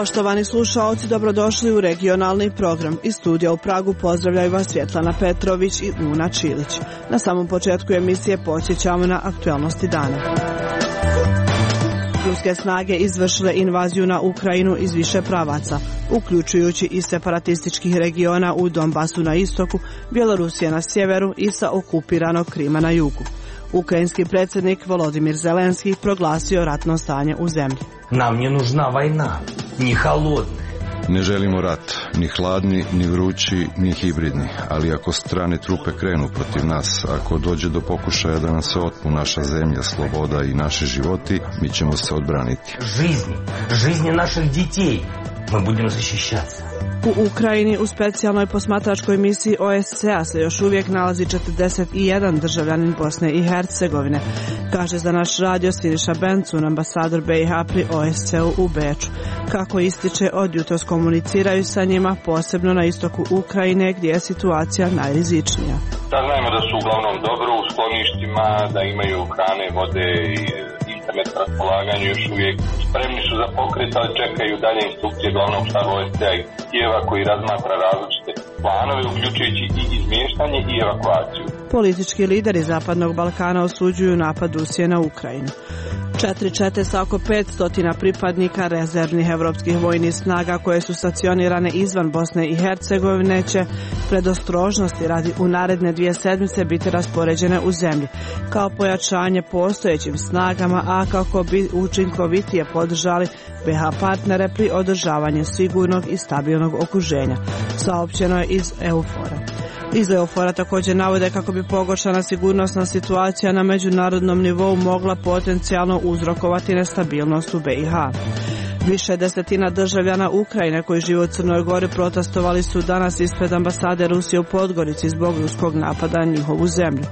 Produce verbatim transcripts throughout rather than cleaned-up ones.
Poštovani slušaoci, dobrodošli u regionalni program. Iz studija u Pragu pozdravljaju vas Svjetlana Petrović i Una Čilić. Na samom početku emisije podsjećamo na aktualnosti dana. Ruske snage izvršile invaziju na Ukrajinu iz više pravaca, uključujući i separatističkih regiona u Donbasu na istoku, Bjelorusije na sjeveru i sa okupiranog Krima na jugu. Ukrajinski predsjednik Volodimir Zelenski proglasio ratno stanje u zemlji. Nam je nužna vojna, ni halodna. Ne želimo rat, ni hladni, ni vrući, ni hibridni, ali ako strane trupe krenu protiv nas, ako dođe do pokušaja da nam se otmu naša zemlja, sloboda i naši životi, mi ćemo se odbraniti. Жизни, жизни naših детей, mi budemo zaštićati. U Ukrajini u specijalnoj posmatračkoj misiji O S C A se još uvijek nalazi četrdeset jedan državljanin Bosne i Hercegovine, kaže za naš radio Siniša Bencun, ambasador B i H pri O S C U u Beču. Kako ističe, od jutros komuniciraju sa njima, posebno na istoku Ukrajine gdje je situacija najrizičnija. Saznajemo da su uglavnom dobro u skloništima, da imaju hrane, vode i internet na raspolaganju, još uvijek spremni su za pokret, ali čekaju dalje instrukcije glavnog štaba O S C A i Kijeva koji razmatra različite planove, uključujući i izmještanje i evakuaciju. Politički lideri Zapadnog Balkana osuđuju napad Rusije na Ukrajinu. Četiri čete sa oko petsto pripadnika rezervnih evropskih vojnih snaga koje su stacionirane izvan Bosne i Hercegovine će predostrožnosti radi u naredne dvije sedmice biti raspoređene u zemlji kao pojačanje postojećim snagama, a kako bi učinkovitije podržali B H partnere pri održavanju sigurnog i stabilnog okruženja, saopćeno je iz EUFOR-a. Iz EUFOR-a također navode kako bi pogoršana sigurnosna situacija na međunarodnom nivou mogla potencijalno uzrokovati nestabilnost u B i H. Više desetina državljana Ukrajine koji žive u Crnoj Gori protestovali su danas ispred ambasade Rusije u Podgorici zbog ruskog napada na njihovu zemlju.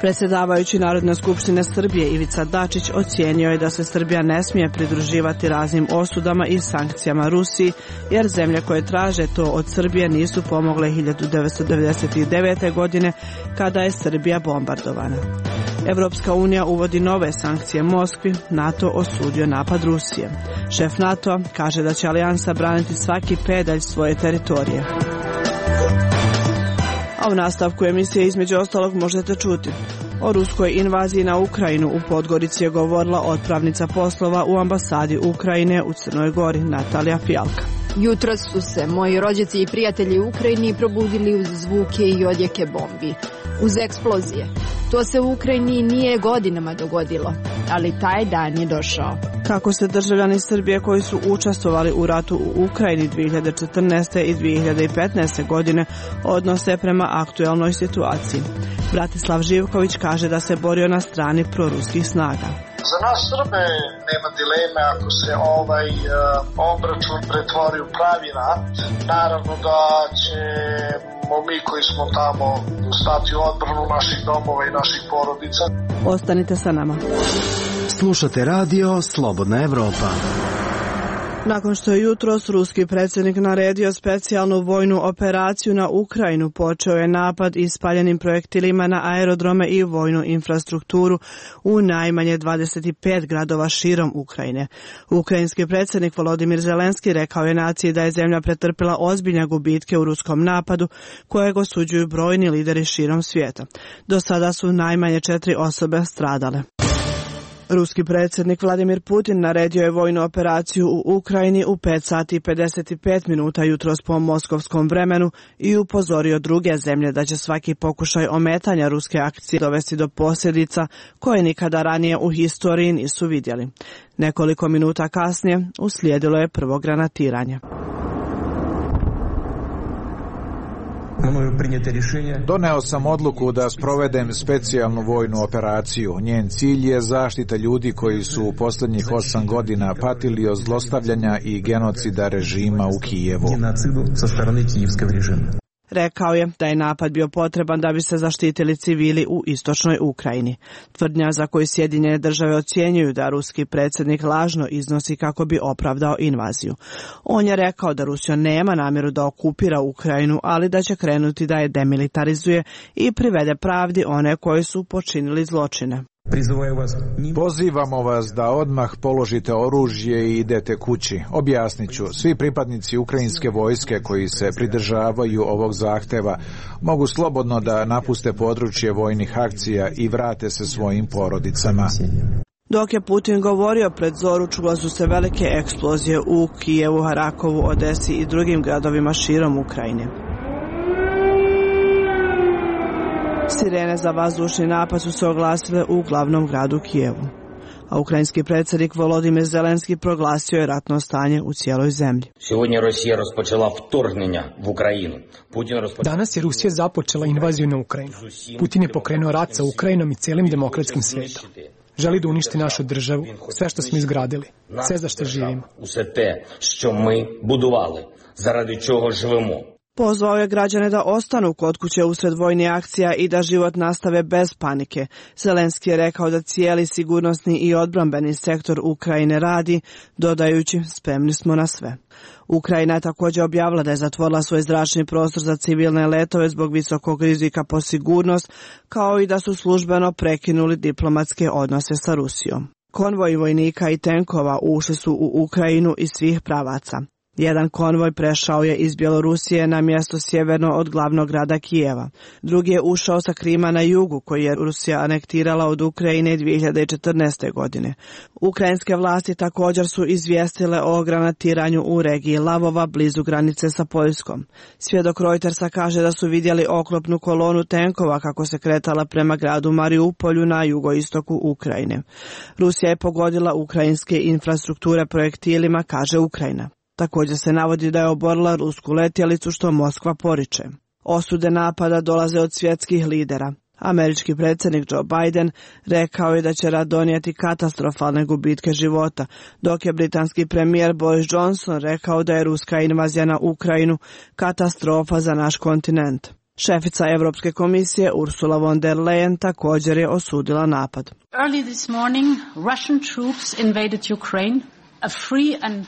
Predsjedavajući Narodne skupštine Srbije Ivica Dačić ocijenio je da se Srbija ne smije pridruživati raznim osudama i sankcijama Rusiji, jer zemlje koje traže to od Srbije nisu pomogle hiljadu devetsto devedeset devete. godine kada je Srbija bombardovana. Evropska unija uvodi nove sankcije Moskvi, NATO osudio napad Rusije. Šef NATO kaže da će alijansa braniti svaki pedalj svoje teritorije. A u nastavku emisije između ostalog možete čuti: o ruskoj invaziji na Ukrajinu u Podgorici je govorila otpravnica poslova u ambasadi Ukrajine u Crnoj Gori Natalija Fijalka. Jutros su se moji rođaci i prijatelji u Ukrajini probudili uz zvuke i odjeke bombi, uz eksplozije. To se u Ukrajini nije godinama dogodilo, ali taj dan je došao. Kako se državljani Srbije koji su učestvovali u ratu u Ukrajini dvije hiljade četrnaeste. i dvije hiljade petnaeste. godine odnose prema aktualnoj situaciji? Bratislav Živković kaže da se borio na strani proruskih snaga. Za nas Srbe nema dileme ako se ovaj uh, obračun pretvori u pravi rat. Naravno da ćemo mi koji smo tamo stati u odbranu naših domova i naših porodica. Ostanite sa nama. Slušate radio Slobodna Evropa. Nakon što je jutros ruski predsjednik naredio specijalnu vojnu operaciju na Ukrajinu, počeo je napad ispaljenim projektilima na aerodrome i vojnu infrastrukturu u najmanje dvadeset pet gradova širom Ukrajine. Ukrajinski predsjednik Volodimir Zelenski rekao je naciji da je zemlja pretrpila ozbiljne gubitke u ruskom napadu, kojeg osuđuju brojni lideri širom svijeta. Do sada su najmanje četiri osobe stradale. Ruski predsjednik Vladimir Putin naredio je vojnu operaciju u Ukrajini u pet sati i pedeset pet minuta jutros po moskovskom vremenu i upozorio druge zemlje da će svaki pokušaj ometanja ruske akcije dovesti do posljedica koje nikada ranije u historiji nisu vidjeli. Nekoliko minuta kasnije uslijedilo je prvo granatiranje. Doneo sam odluku da sprovedem specijalnu vojnu operaciju. Njen cilj je zaštita ljudi koji su u posljednjih osam godina patili od zlostavljanja i genocida režima u Kijevu. Rekao je da je napad bio potreban da bi se zaštitili civili u istočnoj Ukrajini. Tvrdnja za koju Sjedinjene države ocjenjuju da ruski predsjednik lažno iznosi kako bi opravdao invaziju. On je rekao da Rusija nema namjeru da okupira Ukrajinu, ali da će krenuti da je demilitarizuje i privede pravdi one koji su počinili zločine. Pozivamo vas da odmah položite oružje i idete kući. Objasnit ću, svi pripadnici ukrajinske vojske koji se pridržavaju ovog zahteva mogu slobodno da napuste područje vojnih akcija i vrate se svojim porodicama. Dok je Putin govorio pred zoru, čule su se velike eksplozije u Kijevu, Harakovu, Odesi i drugim gradovima širom Ukrajine. Sirene za vazdušni napad su se oglasile u glavnom gradu Kijevu, a ukrajinski predsjednik Volodimir Zelenski proglasio je ratno stanje u cijeloj zemlji. Danas je Rusija započela invaziju na Ukrajinu. Putin je pokrenuo rat sa Ukrajinom i cijelim demokratskim svijetom. Želi da uništi našu državu, sve što smo izgradili, sve za što živimo. Pozvao je građane da ostanu kod kuće usred vojnih akcija i da život nastave bez panike. Zelenski je rekao da cijeli sigurnosni i odbrambeni sektor Ukrajine radi, dodajući spremni smo na sve. Ukrajina je također objavila da je zatvorila svoj zračni prostor za civilne letove zbog visokog rizika po sigurnost, kao i da su službeno prekinuli diplomatske odnose sa Rusijom. Konvoji vojnika i tenkova ušli su u Ukrajinu iz svih pravaca. Jedan konvoj prešao je iz Bjelorusije na mjesto sjeverno od glavnog grada Kijeva. Drugi je ušao sa Krima na jugu, koji je Rusija anektirala od Ukrajine dvije hiljade četrnaeste. godine. Ukrajinske vlasti također su izvijestile o granatiranju u regiji Lavova blizu granice sa Poljskom. Svjedok Reutersa kaže da su vidjeli oklopnu kolonu tenkova kako se kretala prema gradu Mariupolju na jugoistoku Ukrajine. Rusija je pogodila ukrajinske infrastrukture projektilima, kaže Ukrajina. Također se navodi da je oborila rusku letjelicu, što Moskva poriče. Osude napada dolaze od svjetskih lidera. Američki predsjednik Joe Biden rekao je da će rat donijeti katastrofalne gubitke života, dok je britanski premijer Boris Johnson rekao da je ruska invazija na Ukrajinu katastrofa za naš kontinent. Šefica Europske komisije Ursula von der Leyen također je osudila napad. Early this morning, Russian troops invaded Ukraine.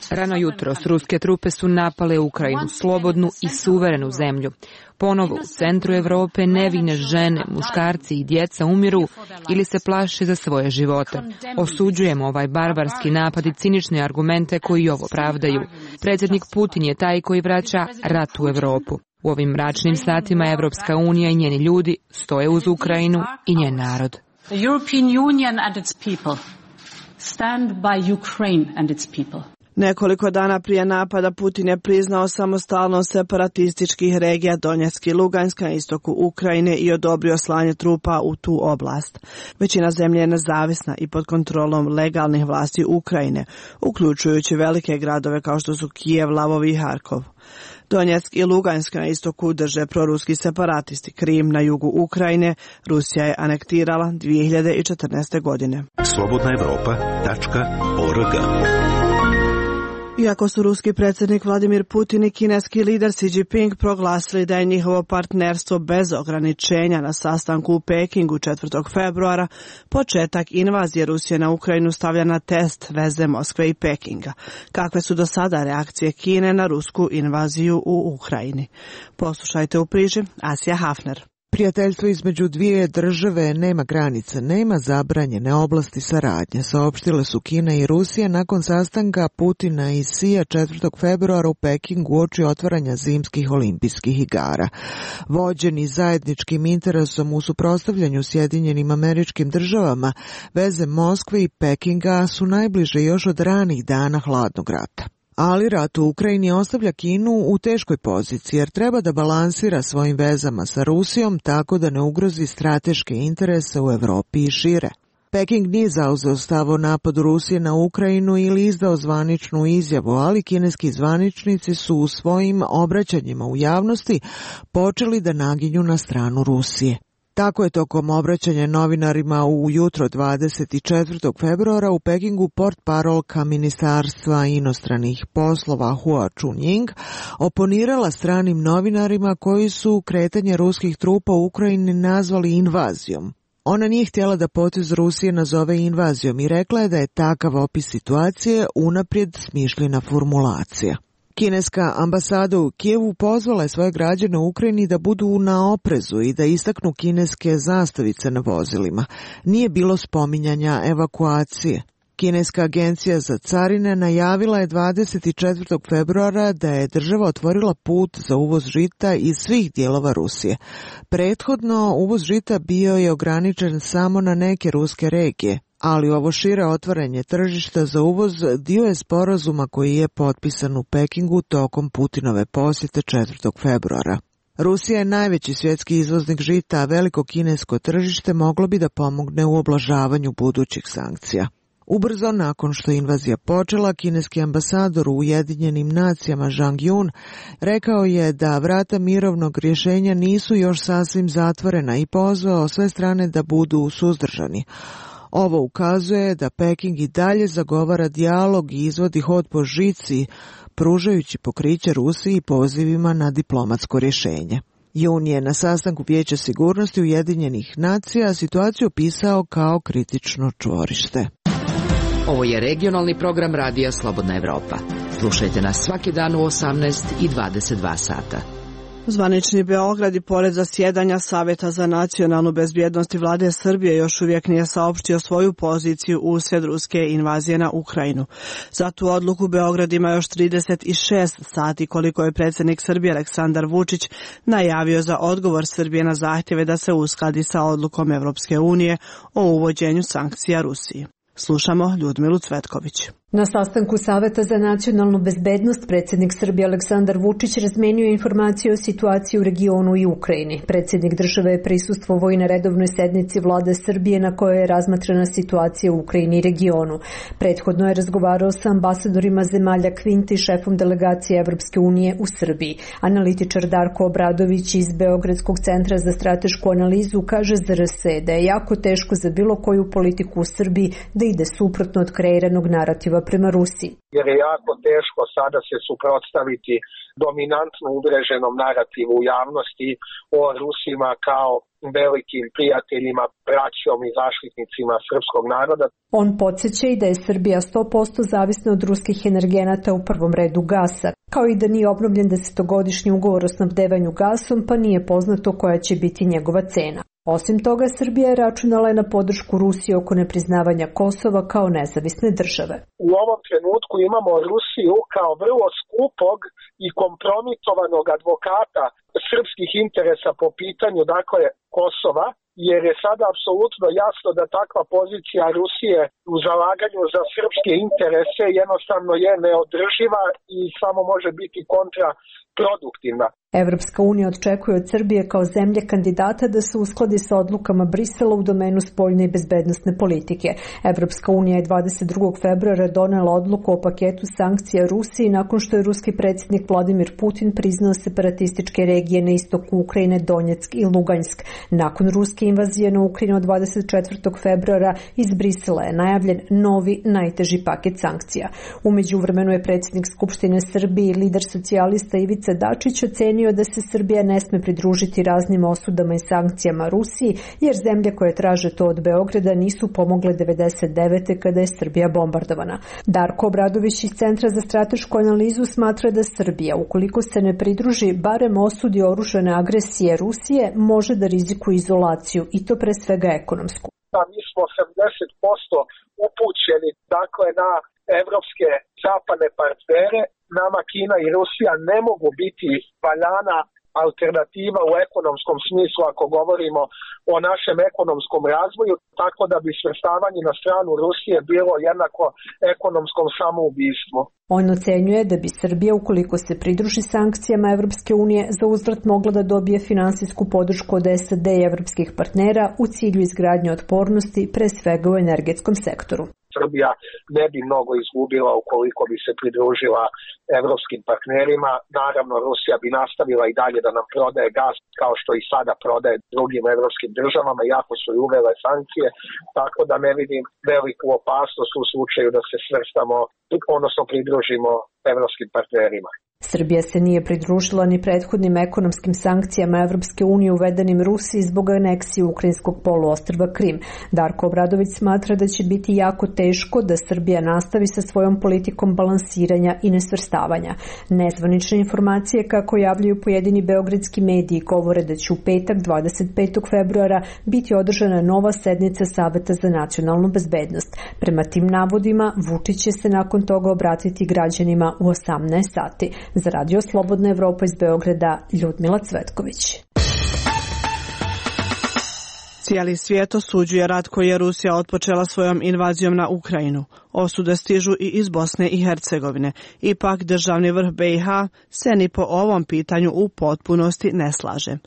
Rano jutros ruske trupe su napale Ukrajinu, slobodnu i suverenu zemlju. Ponovo u centru Europe nevine žene, muškarci i djeca umiru ili se plaše za svoje živote. Osuđujemo ovaj barbarski napad i cinične argumente koji ovo pravdaju. Predsjednik Putin je taj koji vraća rat u Europu. U ovim mračnim satima Evropska unija i njeni ljudi stoje uz Ukrajinu i njen narod. The European Union and its people stand by Ukraine and its people. Nekoliko dana prije napada Putin je priznao samostalnost separatističkih regija Donjeck i Lugansk na istoku Ukrajine i odobrio slanje trupa u tu oblast. Većina zemlje je nezavisna i pod kontrolom legalnih vlasti Ukrajine, uključujući velike gradove kao što su Kijev, Lavov i Harkov. Donjeck i Lugansk na istoku drže proruski separatisti. Krim na jugu Ukrajine Rusija je anektirala dvije hiljade četrnaeste. godine. slobodna evropa tačka org. Iako su ruski predsjednik Vladimir Putin i kineski lider Xi Jinping proglasili da je njihovo partnerstvo bez ograničenja na sastanku u Pekingu četvrtog februara, početak invazije Rusije na Ukrajinu stavlja na test veze Moskve i Pekinga. Kakve su do sada reakcije Kine na rusku invaziju u Ukrajini? Poslušajte u priči Asija Hafner. Prijateljstvo između dvije države nema granica, nema zabranjene oblasti saradnje, saopštile su Kina i Rusija nakon sastanka Putina i Xija četvrtog februara u Pekingu uoči otvaranja zimskih olimpijskih igara. Vođeni zajedničkim interesom u suprotstavljanju Sjedinjenim Američkim Državama, veze Moskve i Pekinga su najbliže još od ranih dana hladnog rata. Ali rat u Ukrajini ostavlja Kinu u teškoj poziciji jer treba da balansira svojim vezama sa Rusijom tako da ne ugrozi strateške interese u Evropi i šire. Peking nije zauzeo stav o napadu Rusije na Ukrajinu ili izdao zvaničnu izjavu, ali kineski zvaničnici su u svojim obraćanjima u javnosti počeli da naginju na stranu Rusije. Tako je tokom obraćanja novinarima u jutro dvadeset četvrtog februara u Pekingu portparolka Ministarstva inostranih poslova Hua Chunying oponirala stranim novinarima koji su kretanje ruskih trupa u Ukrajini nazvali invazijom. Ona nije htjela da potez Rusije nazove invazijom i rekla je da je takav opis situacije unaprijed smišljena formulacija. Kineska ambasada u Kijevu pozvala je svoje građane u Ukrajini da budu na oprezu i da istaknu kineske zastavice na vozilima. Nije bilo spominjanja evakuacije. Kineska agencija za carine najavila je dvadeset četvrtog februara da je država otvorila put za uvoz žita iz svih dijelova Rusije. Prethodno uvoz žita bio je ograničen samo na neke ruske regije, ali ovo šire otvaranje tržišta za uvoz dio je sporazuma koji je potpisan u Pekingu tokom Putinove posjete četvrtog februara. Rusija je najveći svjetski izvoznik žita, a veliko kinesko tržište moglo bi da pomogne u oblažavanju budućih sankcija. Ubrzo nakon što je invazija počela, kineski ambasador u Ujedinjenim nacijama Zhang Yun rekao je da vrata mirovnog rješenja nisu još sasvim zatvorena i pozvao sve strane da budu suzdržani. Ovo ukazuje da Peking i dalje zagovara dijalog i izvodi hod po žici, pružajući pokriće Rusiji pozivima na diplomatsko rješenje. Jun je na sastanku Vijeća sigurnosti Ujedinjenih nacija situaciju opisao kao kritično čvorište. Ovo je regionalni program Radija Slobodna Evropa. Slušajte nas svaki dan u osamnaest i dvadeset dva sata. Zvanični Beograd i pored zasjedanja Saveta za nacionalnu bezbjednost i vlade Srbije još uvijek nije saopštio svoju poziciju uslijed ruske invazije na Ukrajinu. Za tu odluku Beograd ima još trideset šest sati koliko je predsjednik Srbije Aleksandar Vučić najavio za odgovor Srbije na zahtjeve da se uskladi sa odlukom Evropske unije o uvođenju sankcija Rusiji. Slušamo Ljudmilu Cvetković. Na sastanku Saveta za nacionalnu bezbednost predsjednik Srbije Aleksandar Vučić razmenio informacije o situaciji u regionu i Ukrajini. Predsjednik države je prisustvovao i na redovnoj sednici vlade Srbije na kojoj je razmatrana situacija u Ukrajini i regionu. Prethodno je razgovarao sa ambasadorima zemalja Kvinta i šefom delegacije Evropske unije u Srbiji. Analitičar Darko Obradović iz Beogradskog centra za stratešku analizu kaže za R S da je jako teško za bilo koju politiku u Srbiji da ide suprotno od kreiranog narativa prema Rusiji. Jer je jako teško sada se suprotstaviti dominantno uvreženom narativu u javnosti o Rusima kao velikim prijateljima, braćom i zaštitnicima srpskog naroda. On podsjeća i da je Srbija sto posto zavisna od ruskih energenata, u prvom redu gasa, kao i da nije obnovljen desetogodišnji ugovor o snabdevanju gasom, pa nije poznato koja će biti njegova cena. Osim toga, Srbija je računala na podršku Rusije oko nepriznavanja Kosova kao nezavisne države. U ovom trenutku imamo Rusiju kao vrlo skupog i kompromitovanog advokata srpskih interesa po pitanju, dakle, Kosova, jer je sada apsolutno jasno da takva pozicija Rusije u zalaganju za srpske interese jednostavno je neodrživa i samo može biti kontraproduktivna. Evropska unija očekuje od Srbije kao zemlje kandidata da se uskladi sa odlukama Brisela u domenu spoljne i bezbednosne politike. Evropska unija je dvadeset drugog februara donela odluku o paketu sankcija Rusiji nakon što je ruski predsjednik Vladimir Putin priznao separatističke regije na istoku Ukrajine, Donjeck i Lugansk. Nakon ruske invazije na Ukrajinu dvadeset četvrtog februara iz Brisela je najavljen novi, najteži paket sankcija. U međuvremenu je predsjednik Skupštine Srbije i lider socijalista Ivica Dačić ocenio da se Srbija ne sme pridružiti raznim osudama i sankcijama Rusiji, jer zemlje koje traže to od Beograda nisu pomogle devedeset devete kada je Srbija bombardovana. Darko Obradović iz Centra za stratešku analizu smatra da Srbija, ukoliko se ne pridruži, barem osudi oružane agresije Rusije, može da rizikuje izolaciju i to pre svega ekonomsku. Da, mi smo osamdeset posto upućeni dakle na evropske zapadne partnere. Nama Kina i Rusija ne mogu biti valjana alternativa u ekonomskom smislu ako govorimo o našem ekonomskom razvoju, tako da bi svrstavanje na stranu Rusije bilo jednako ekonomskom samoubistvu. On ocenjuje da bi Srbija, ukoliko se pridruži sankcijama Evropske unije, za uzvrat mogla da dobije finansijsku podršku od S A D i evropskih partnera u cilju izgradnje otpornosti, pre svega u energetskom sektoru. Srbija ne bi mnogo izgubila ukoliko bi se pridružila evropskim partnerima. Naravno, Rusija bi nastavila i dalje da nam prodaje gas kao što i sada prodaje drugim evropskim državama, iako su i uvele sankcije, tako da ne vidim veliku opasnost u slučaju da se svrstamo, odnosno pridružimo evropskim partnerima. Srbija se nije pridružila ni prethodnim ekonomskim sankcijama Evropske unije uvedenim Rusiji zbog aneksije ukrajinskog poluostrva Krim. Darko Obradović smatra da će biti jako teško da Srbija nastavi sa svojom politikom balansiranja i nesvrstavanja. Nezvanične informacije, kako javljaju pojedini beogradski mediji, govore da će u petak dvadeset petog februara biti održana nova sednica Saveta za nacionalnu bezbednost. Prema tim navodima, Vučić će se nakon toga obratiti građanima u osamnaest sati. Za Radio Slobodna Evropa iz Beograda, Ljudmila Cvetković. Cijeli svijet osuđuje rat koji je Rusija otpočela svojom invazijom na Ukrajinu. Osude stižu i iz Bosne i Hercegovine. Ipak državni vrh B i H se ni po ovom pitanju u potpunosti ne slaže.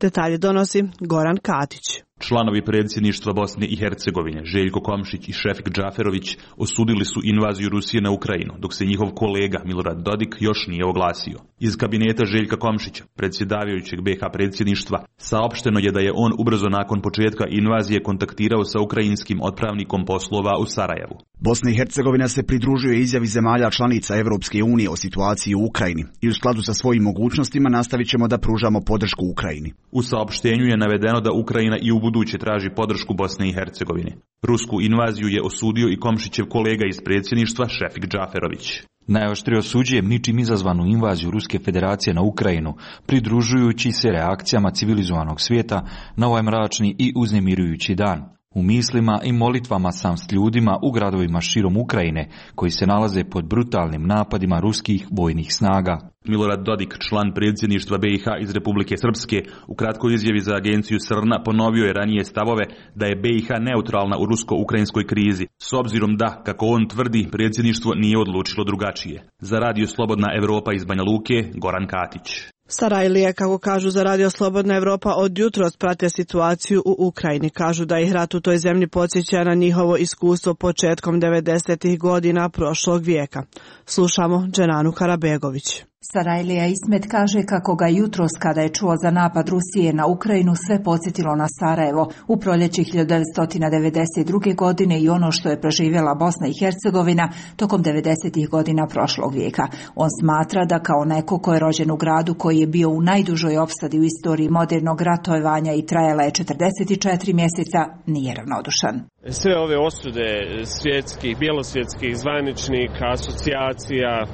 Detalje donosi Goran Katić. Članovi predsjedništva Bosne i Hercegovine, Željko Komšić i Šefik Džaferović, osudili su invaziju Rusije na Ukrajinu, dok se njihov kolega Milorad Dodik još nije oglasio. Iz kabineta Željka Komšića, predsjedavajućeg B i H predsjedništva, saopšteno je da je on ubrzo nakon početka invazije kontaktirao sa ukrajinskim otpravnikom poslova u Sarajevu. Bosna i Hercegovina se pridružuje izjavi zemalja članica Evropske unije o situaciji u Ukrajini i u skladu sa svojim mogućnostima nastavit ćemo da pružamo podršku Ukrajini. U saopštenju je navedeno da Ukrajina i u buduće traži podršku Bosne i Hercegovine. Rusku invaziju je osudio i Komšićev kolega iz predsjedništva Šefik Džaferović. Najoštrije osuđujem ničim izazvanu invaziju Ruske federacije na Ukrajinu, pridružujući se reakcijama civilizovanog svijeta na ovaj mračni i uznemirujući dan. U mislima i molitvama sam s ljudima u gradovima širom Ukrajine koji se nalaze pod brutalnim napadima ruskih vojnih snaga. Milorad Dodik, član predsjedništva B i H iz Republike Srpske, u kratkoj izjavi za agenciju Srna ponovio je ranije stavove da je B i H neutralna u rusko-ukrajinskoj krizi, s obzirom da, kako on tvrdi, predsjedništvo nije odlučilo drugačije. Za Radio Slobodna Evropa iz Banja Luke, Goran Katić. Sarajlije, kako kažu za Radio Slobodna Evropa, od jutros prate situaciju u Ukrajini. Kažu da ih rat u toj zemlji podsjeća na njihovo iskustvo početkom devedesetih godina prošlog vijeka. Slušamo Dženanu Karabegović. Sarajlija Ismet kaže kako ga jutros, kada je čuo za napad Rusije na Ukrajinu, sve podsjetilo na Sarajevo u proljeće hiljadu devetsto devedeset druge. godine i ono što je preživjela Bosna i Hercegovina tokom devedesetih godina prošlog vijeka. On smatra da kao neko ko je rođen u gradu koji je bio u najdužoj opsadi u istoriji modernog ratovanja i trajala je četrdeset četiri mjeseca, nije ravnodušan. Sve ove osude svjetskih, bjelosvjetskih zvaničnika, asocijacija,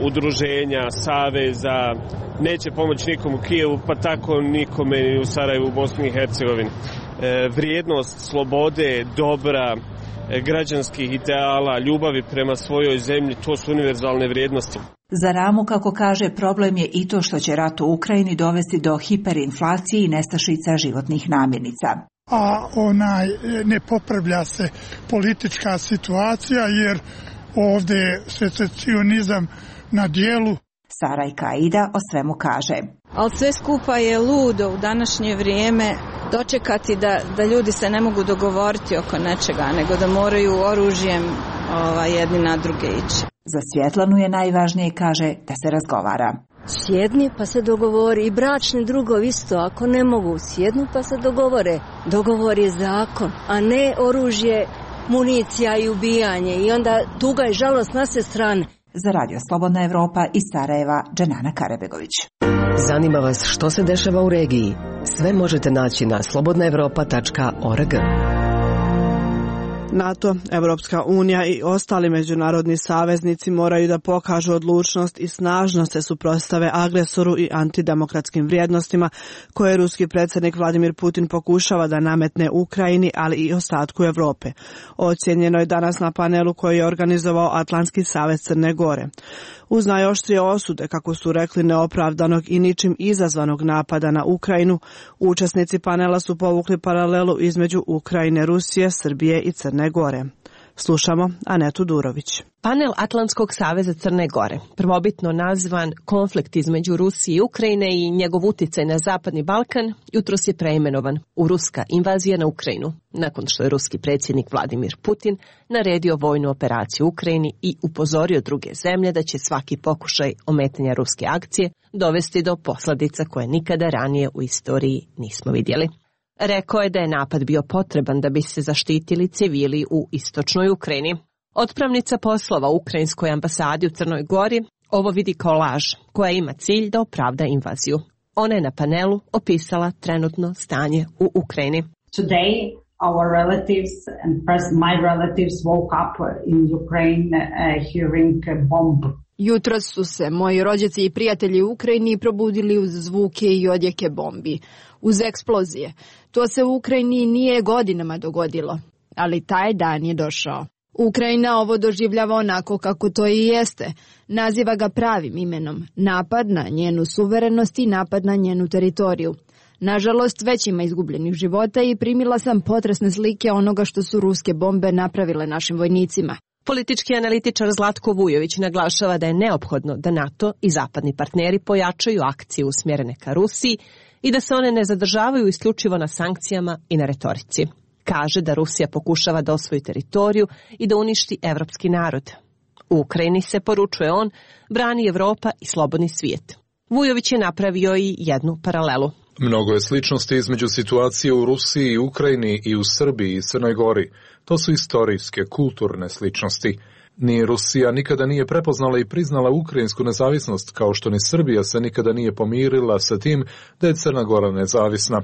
udruženja, saveza, neće pomoći nikom u Kijevu, pa tako nikome ni u Sarajevu, u Bosni i Hercegovini. Vrijednost slobode, dobra, građanskih ideala, ljubavi prema svojoj zemlji, to su univerzalne vrijednosti. Za Ramu, kako kaže, problem je i to što će rat u Ukrajini dovesti do hiperinflacije i nestašica životnih namirnica. A onaj, ne popravlja se politička situacija jer ovdje je secesionizam na dijelu. Sara i Kaida o svemu kaže. Ali sve skupa je ludo u današnje vrijeme dočekati da, da ljudi se ne mogu dogovoriti oko nečega, nego da moraju oružjem ova, jedni na druge ići. Za Svjetlanu je najvažnije, kaže, da se razgovara. Sjedni pa se dogovori, i bračni drugovi isto, ako ne mogu sjednu pa se dogovore. Dogovor je zakon, a ne oružje, municija i ubijanje, i onda tuga i žalost na sve strane. Za Radio Slobodna Evropa iz Sarajeva, Dženana Karabegović. Zanima vas što se dešava u regiji? Sve možete naći na slobodna evropa tačka org. NATO, Evropska unija i ostali međunarodni saveznici moraju da pokažu odlučnost i snažno se suprotstave agresoru i antidemokratskim vrijednostima koje ruski predsjednik Vladimir Putin pokušava da nametne Ukrajini, ali i ostatku Evrope. Ocijenjeno je danas na panelu koji je organizovao Atlantski savez Crne Gore. Uz najoštrije osude, kako su rekli, neopravdanog i ničim izazvanog napada na Ukrajinu, učesnici panela su povukli paralelu između Ukrajine, Rusije, Srbije i Crne Gore. Slušamo Anetu Durović. Panel Atlantskog saveza Crne Gore, prvobitno nazvan Konflikt između Rusije i Ukrajine i njegov uticaj na Zapadni Balkan, jutros je preimenovan u Ruska invazija na Ukrajinu, nakon što je ruski predsjednik Vladimir Putin naredio vojnu operaciju u Ukrajini i upozorio druge zemlje da će svaki pokušaj ometanja ruske akcije dovesti do posljedica koje nikada ranije u istoriji nismo vidjeli. Rekao je da je napad bio potreban da bi se zaštitili civili u istočnoj Ukrajini. Otpravnica poslova u Ukrajinskoj ambasadi u Crnoj Gori, ovo vidi kao laž koja ima cilj da opravda invaziju. Ona je na panelu opisala trenutno stanje u Ukrajini. Today our relatives and first my relatives woke up in Ukraine uh, hearing a bomb. Jutros su se moji rođaci i prijatelji u Ukrajini probudili uz zvuke i odjeke bombi, uz eksplozije. To se u Ukrajini nije godinama dogodilo, ali taj dan je došao. Ukrajina ovo doživljava onako kako to i jeste. Naziva ga pravim imenom. Napad na njenu suverenost i napad na njenu teritoriju. Nažalost, već ima izgubljenih života i primila sam potresne slike onoga što su ruske bombe napravile našim vojnicima. Politički analitičar Zlatko Vujović naglašava da je neophodno da NATO i zapadni partneri pojačaju akcije usmjerene ka Rusiji i da se one ne zadržavaju isključivo na sankcijama i na retorici. Kaže da Rusija pokušava da osvoji teritoriju i da uništi evropski narod. U Ukrajini se, poručuje on, brani Evropa i slobodni svijet. Vujović je napravio i jednu paralelu. Mnogo je sličnosti između situacije u Rusiji i Ukrajini i u Srbiji i Crnoj Gori. To su istorijske, kulturne sličnosti. Ni Rusija nikada nije prepoznala i priznala ukrajinsku nezavisnost, kao što ni Srbija se nikada nije pomirila sa tim da je Crna Gora nezavisna.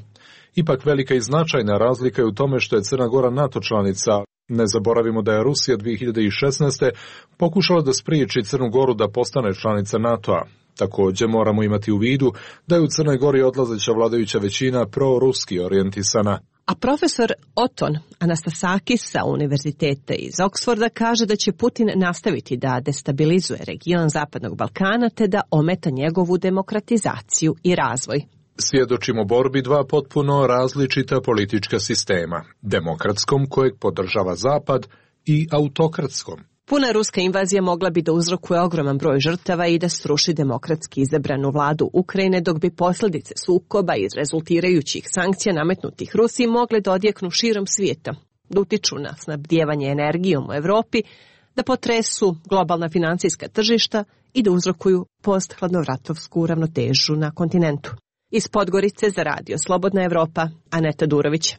Ipak velika i značajna razlika je u tome što je Crna Gora NATO članica. Ne zaboravimo da je Rusija dvije hiljade šesnaeste. pokušala da spriječi Crnu Goru da postane članica NATO-a. Također moramo imati u vidu da je u Crnoj Gori odlazeća vladajuća većina proruski orijentisana. A profesor Oton Anastasakis sa univerziteta iz Oksforda kaže da će Putin nastaviti da destabilizuje region Zapadnog Balkana te da ometa njegovu demokratizaciju i razvoj. Svjedočimo borbi dva potpuno različita politička sistema, demokratskom kojeg podržava Zapad i autokratskom. Puna ruska invazija mogla bi da uzrokuje ogroman broj žrtava i da sruši demokratski izabranu vladu Ukrajine, dok bi posljedice sukoba iz rezultirajućih sankcija nametnutih Rusiji mogle da odjeknu širom svijeta, da utiču na snabdijevanje energijom u Evropi, da potresu globalna financijska tržišta i da uzrokuju post-hladnovratovsku ravnotežu na kontinentu. Iz Podgorice za radio Slobodna Evropa, Aneta Durović.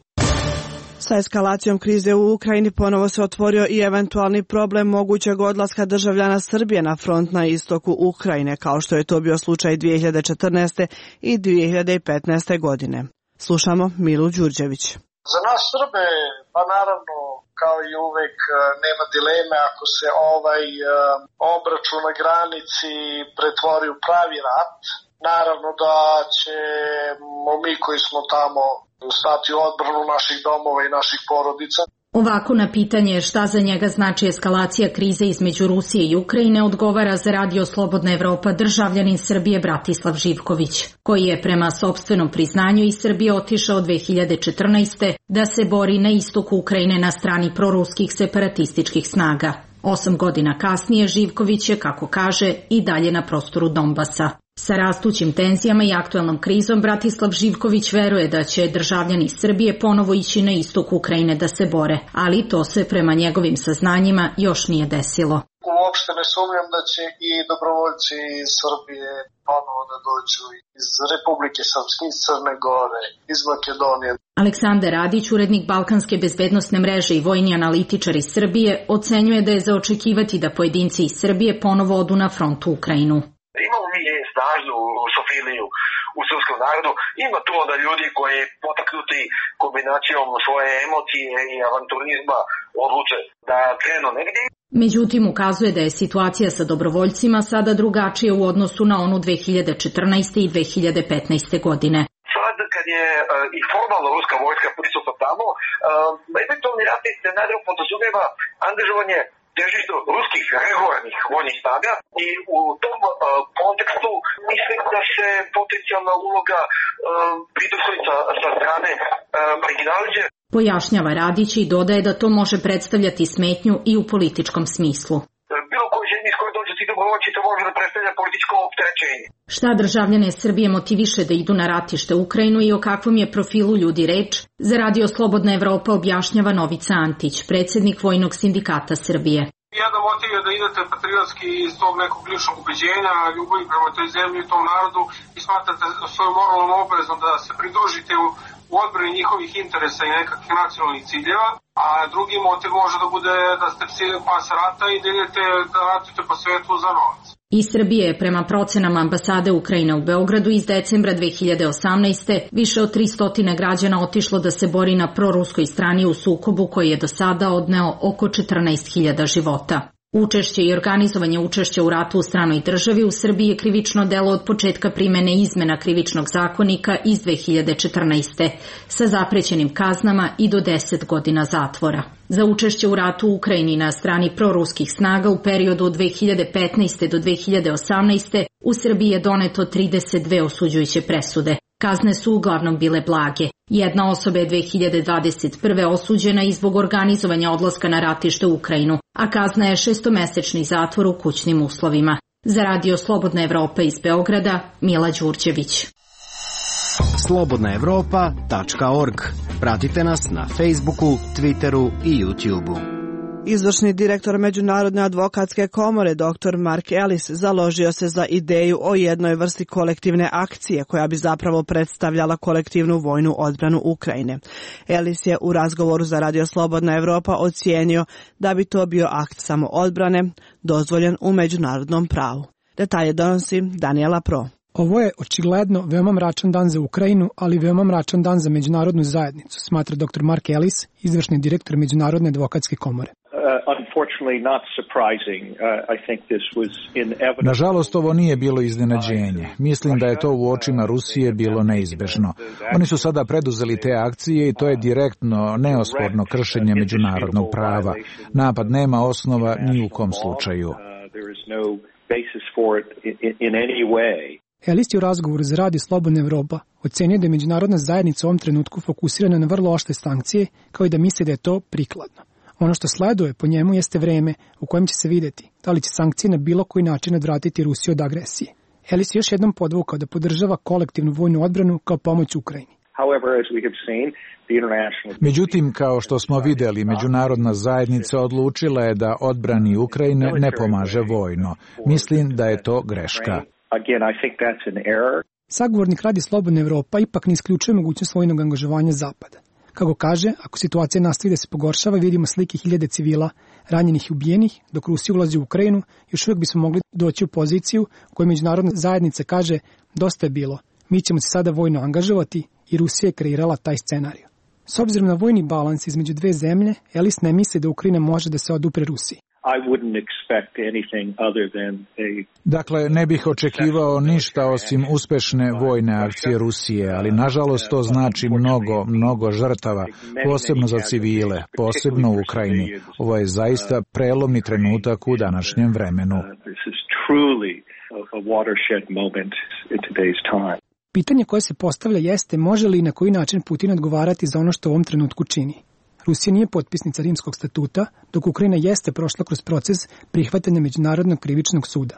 Sa eskalacijom krize u Ukrajini ponovo se otvorio i eventualni problem mogućeg odlaska državljana Srbije na front na istoku Ukrajine, kao što je to bio slučaj dvije hiljade četrnaeste. i dvije hiljade petnaeste. godine. Slušamo Milu Đurđević. Za nas Srbe, pa naravno, kao i uvek, nema dileme ako se ovaj obračun na granici pretvori u pravi rat. Naravno da ćemo mi koji smo tamo stati u odbranu naših domova i naših porodica. Ovako na pitanje šta za njega znači eskalacija krize između Rusije i Ukrajine odgovara za radio Slobodna Evropa državljanin Srbije Bratislav Živković, koji je prema sopstvenom priznanju iz Srbije otišao dvije hiljade četrnaeste. da se bori na istoku Ukrajine na strani proruskih separatističkih snaga. Osam godina kasnije Živković je, kako kaže, i dalje na prostoru Donbasa. Sa rastućim tenzijama i aktuelnom krizom Bratislav Živković veruje da će državljani Srbije ponovo ići na istok Ukrajine da se bore, ali to se prema njegovim saznanjima još nije desilo. Uopšte ne sumnjam da će i dobrovoljci iz Srbije ponovo da dođu iz Republike Srpske, iz Crne Gore, iz Makedonije. Aleksandar Radić, urednik Balkanske bezbednosne mreže i vojni analitičar iz Srbije, ocenjuje da je za očekivati da pojedinci iz Srbije ponovo odu na front u Ukrajinu. Imamo mi snažnu rusofiliju u srpskom narodu. Ima to da ljudi koji potaknuti kombinacijom svoje emocije i avanturizma odluče da krenu negdje. Međutim, ukazuje da je situacija sa dobrovoljcima sada drugačija u odnosu na onu dvije hiljade četrnaeste. i dvije hiljade petnaeste. godine. Sad kad je uh, i formalno ruska vojska prisutna tamo, uh, eventualni ratni scenarij podrazumijeva angažovanje težište ruskih regularnih vojnih snaga i u tom uh, kontekstu mislim da se potencijalna uloga uh, pridruži sa, sa strane uh, marginaliđe. Pojašnjava Radić i dodaje da to može predstavljati smetnju i u političkom smislu. Bilo koji zemlji iz koje dođe ti dobrovoljci to može da predstavlja političko opterećenje. Šta državljane Srbije motiviše da idu na ratište u Ukrajinu i o kakvom je profilu ljudi reč, za radio Slobodna Evropa objašnjava Novica Antić, predsjednik Vojnog sindikata Srbije. Jedan motiv je da idete patriotski iz tog nekog ličnog ubeđenja, ljubavi prema toj zemlji i tom narodu i smatrate svojom moralnom obavezom da se pridružite u, u odbrani njihovih interesa i nekakvih nacionalnih ciljeva, a drugi motiv može da bude da ste psi pas rata i da idete da ratite po svetu za novac. Iz Srbije je prema procenama ambasade Ukrajine u Beogradu iz decembra dve hiljade osamnaeste. više od tristo građana otišlo da se bori na proruskoj strani u sukobu koji je do sada odneo oko četrnaest hiljada života. Učešće i organizovanje učešća u ratu u stranoj državi u Srbiji je krivično delo od početka primene izmena Krivičnog zakonika iz dve hiljade četrnaeste. sa zaprećenim kaznama i do deset godina zatvora. Za učešće u ratu u Ukrajini na strani proruskih snaga u periodu od dve hiljade petnaeste. do dve hiljade osamnaeste. u Srbiji je doneto trideset dve osuđujuće presude. Kazne su uglavnom bile blage. Jedna osoba je dve hiljade dvadeset prve. osuđena i zbog organizovanja odlaska na ratište u Ukrajinu, a kazna je šestomesečni zatvor u kućnim uslovima. Za Radio Slobodna Evropa iz Beograda, Mila Đurđević. slobodna evropa tačka org. Pratite nas na Facebooku, Twitteru i YouTubeu. Izvršni direktor Međunarodne advokatske komore dr Mark Ellis založio se za ideju o jednoj vrsti kolektivne akcije koja bi zapravo predstavljala kolektivnu vojnu odbranu Ukrajine. Ellis je u razgovoru za Radio Slobodna Evropa ocijenio da bi to bio akt samoodbrane dozvoljen u međunarodnom pravu. Detalje donosi Daniela Pro. Ovo je očigledno veoma mračan dan za Ukrajinu, ali veoma mračan dan za međunarodnu zajednicu, smatra dr Mark Ellis, izvršni direktor Međunarodne advokatske komore. Nažalost, ovo nije bilo iznenađenje. Mislim da je to u očima Rusije bilo neizbežno. Oni su sada preduzeli te akcije i to je direktno, neosporno kršenje međunarodnog prava. Napad nema osnova ni u kom slučaju. Ellis je u razgovoru za Radio Slobodna Evropa ocenio da je međunarodna zajednica u ovom trenutku fokusirana na vrlo oštre sankcije, kao i da misli da je to prikladno. Ono što sleduje po njemu jeste vreme u kojem će se videti da li će sankcije na bilo koji način odvratiti Rusiju od agresije. Ellis je još jednom podvukao da podržava kolektivnu vojnu odbranu kao pomoć Ukrajini. Međutim, kao što smo vidjeli, međunarodna zajednica odlučila je da odbrani Ukrajine ne pomaže vojno. Mislim da je to greška. Sagovornik Radio Slobodna Evropa ipak ne isključuje mogućnost vojnog angažovanja Zapada. Kako kaže, ako situacija nastavi da se pogoršava, vidimo slike hiljade civila, ranjenih i ubijenih, dok Rusija ulazi u Ukrajinu, još uvijek bismo mogli doći u poziciju u kojoj međunarodna zajednica kaže dosta je bilo, mi ćemo se sada vojno angažovati i Rusija je kreirala taj scenarij. S obzirom na vojni balans između dve zemlje, Ellis ne misli da Ukrajina može da se odupre Rusiji. Dakle, ne bih očekivao ništa osim uspešne vojne akcije Rusije, ali nažalost to znači mnogo, mnogo žrtava, posebno za civile, posebno u Ukrajini. Ovo je zaista prelomni trenutak u današnjem vremenu. Pitanje koje se postavlja jeste može li i na koji način Putin odgovarati za ono što u ovom trenutku čini. Rusija nije potpisnica Rimskog statuta, dok Ukrajina jeste prošla kroz proces prihvatanja Međunarodnog krivičnog suda.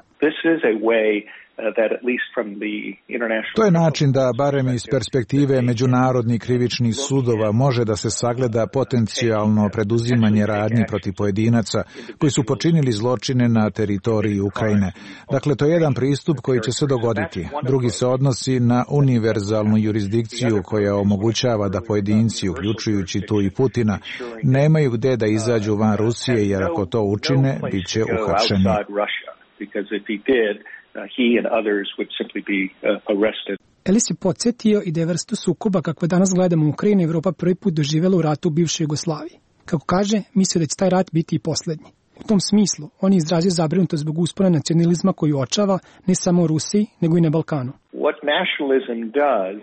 To je način da, barem iz perspektive međunarodnih krivičnih sudova, može da se sagleda potencijalno preduzimanje radnji protiv pojedinaca koji su počinili zločine na teritoriji Ukrajine. Dakle, to je jedan pristup koji će se dogoditi. Drugi se odnosi na univerzalnu jurisdikciju koja omogućava da pojedinci, uključujući tu i Putina, nemaju gde da izađu van Rusije, jer ako to učine, bit će uhapšeni. Ellis je podsjetio i da je vrstu sukoba kakve danas gledamo u Ukrajini Evropa prvi put doživjela u ratu u bivšoj Jugoslaviji. Kako kaže, mislio da će taj rat biti i posljednji. U tom smislu, on je izrazio zabrinutost zbog uspona nacionalizma koji uočava ne samo u Rusiji, nego i na Balkanu. What nationalism does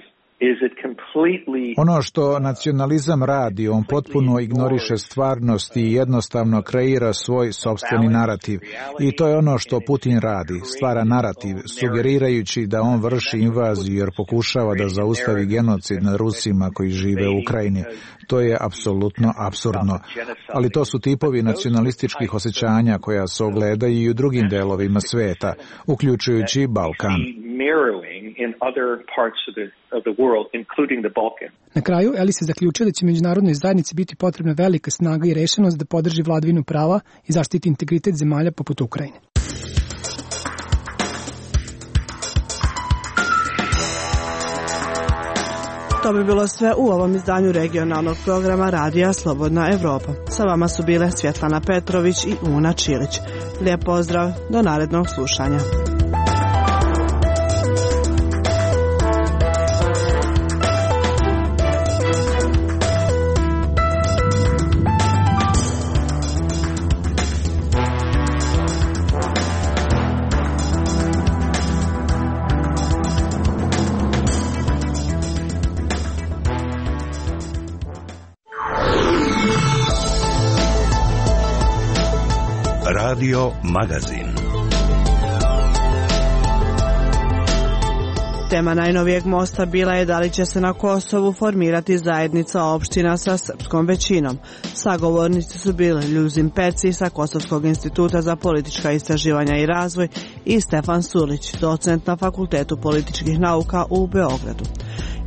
Ono što nacionalizam radi, on potpuno ignoriše stvarnost i jednostavno kreira svoj sopstveni narativ. I to je ono što Putin radi, stvara narativ, sugerirajući da on vrši invaziju jer pokušava da zaustavi genocid nad Rusima koji žive u Ukrajini. To je apsolutno apsurdno. Ali to su tipovi nacionalističkih osjećanja koja se ogledaju i u drugim delovima sveta, uključujući Balkan. Na kraju, Ellis je zaključio da će međunarodnoj zajednici biti potrebna velika snaga i rešenost da podrži vladavinu prava i zaštiti integritet zemalja poput Ukrajine. To bi bilo sve u ovom izdanju regionalnog programa Radija Slobodna Evropa. Sa vama su bile Svjetlana Petrović i Una Čilić. Lijep pozdrav, do narednog slušanja. Radio Magazin. Tema najnovijeg mosta bila je da li će se na Kosovu formirati zajednica opština sa srpskom većinom. Sagovornici su bili Ljuzin Peci sa Kosovskog instituta za politička istraživanja i razvoj i Stefan Surlić, docent na Fakultetu političkih nauka u Beogradu.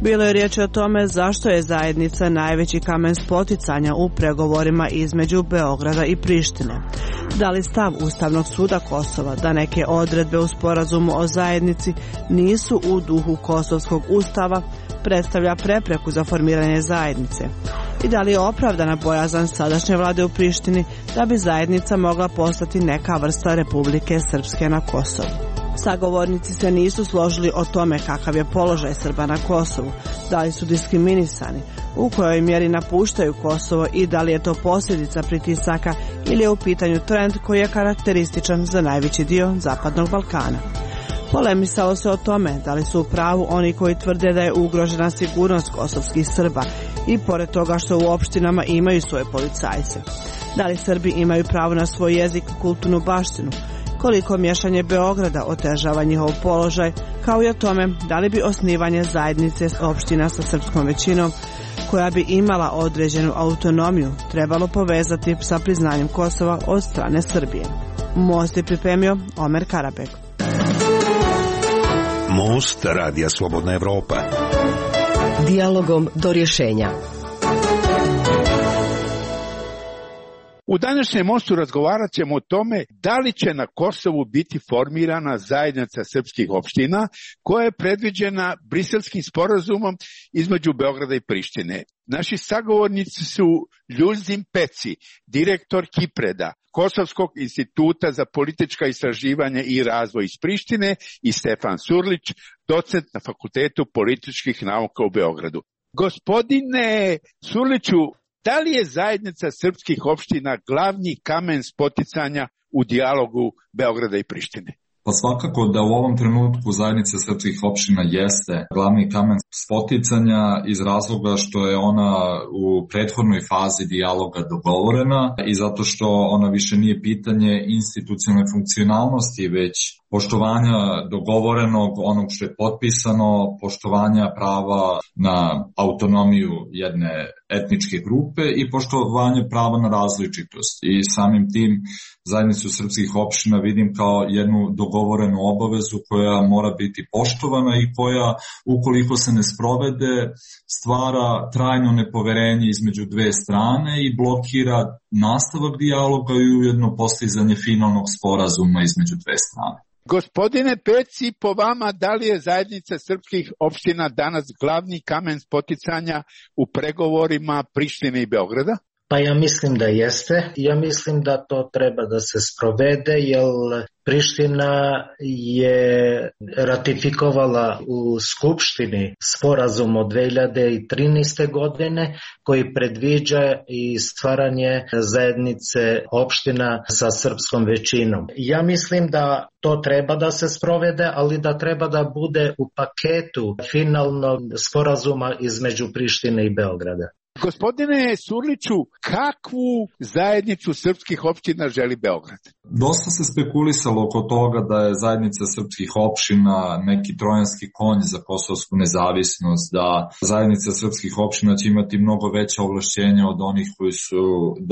Bilo je riječ o tome zašto je zajednica najveći kamen spoticanja u pregovorima između Beograda i Prištine. Da li stav Ustavnog suda Kosova da neke odredbe u sporazumu o zajednici nisu u duhu Kosovskog ustava predstavlja prepreku za formiranje zajednice? I da li je opravdana bojazan sadašnje vlade u Prištini da bi zajednica mogla postati neka vrsta Republike Srpske na Kosovu? Sagovornici se nisu složili o tome kakav je položaj Srba na Kosovu, da li su diskriminisani, u kojoj mjeri napuštaju Kosovo i da li je to posljedica pritisaka ili je u pitanju trend koji je karakterističan za najveći dio Zapadnog Balkana. Polemisalo se o tome da li su u pravu oni koji tvrde da je ugrožena sigurnost kosovskih Srba i pored toga što u opštinama imaju svoje policajce. Da li Srbi imaju pravo na svoj jezik i kulturnu baštinu, koliko miješanje Beograda otežava njihov položaj, kao i o tome da li bi osnivanje zajednice opština sa srpskom većinom, koja bi imala određenu autonomiju, trebalo povezati sa priznanjem Kosova od strane Srbije. Most je pripremio Omer Karabek. Most Radija Slobodna Evropa. Dijalogom do rješenja. U današnjem mostu razgovarat ćemo o tome da li će na Kosovu biti formirana zajednica srpskih opština koja je predviđena Briselskim sporazumom između Beograda i Prištine. Naši sagovornici su Ljuzin Peci, direktor Kipreda, Kosovskog instituta za politička istraživanja i razvoj iz Prištine, i Stefan Surlić, docent na Fakultetu političkih nauka u Beogradu. Gospodine Surliću, da li je zajednica srpskih opština glavni kamen spoticanja u dijalogu Beograda i Prištine? Pa svakako da u ovom trenutku zajednica srpskih opština jeste glavni kamen spoticanja iz razloga što je ona u prethodnoj fazi dijaloga dogovorena i zato što ona više nije pitanje institucionalne funkcionalnosti, već poštovanja dogovorenog, onog što je potpisano, poštovanja prava na autonomiju jedne etničke grupe i poštovanje prava na različitost. I samim tim zajednicu srpskih opština vidim kao jednu dogovorenu obavezu koja mora biti poštovana i koja, ukoliko se ne sprovede, stvara trajno nepoverenje između dve strane i blokira nastavak dijaloga i ujedno postizanje finalnog sporazuma između dve strane. Gospodine Peci, po vama, da li je zajednica srpskih opština danas glavni kamen spoticanja u pregovorima Prištine i Beograda? Pa ja mislim da jeste. Ja mislim da to treba da se sprovede, jer Priština je ratifikovala u Skupštini sporazum od dve hiljade trinaeste. godine koji predviđa i stvaranje zajednice opština sa srpskom većinom. Ja mislim da to treba da se sprovede, ali da treba da bude u paketu finalnog sporazuma između Prištine i Beograda. Gospodine Surliću, kakvu zajednicu srpskih opština želi Beograd? Dosta se spekulisalo oko toga da je zajednica srpskih opština neki trojanski konj za kosovsku nezavisnost, da zajednica srpskih opština će imati mnogo veća ovlašćenja od onih koji su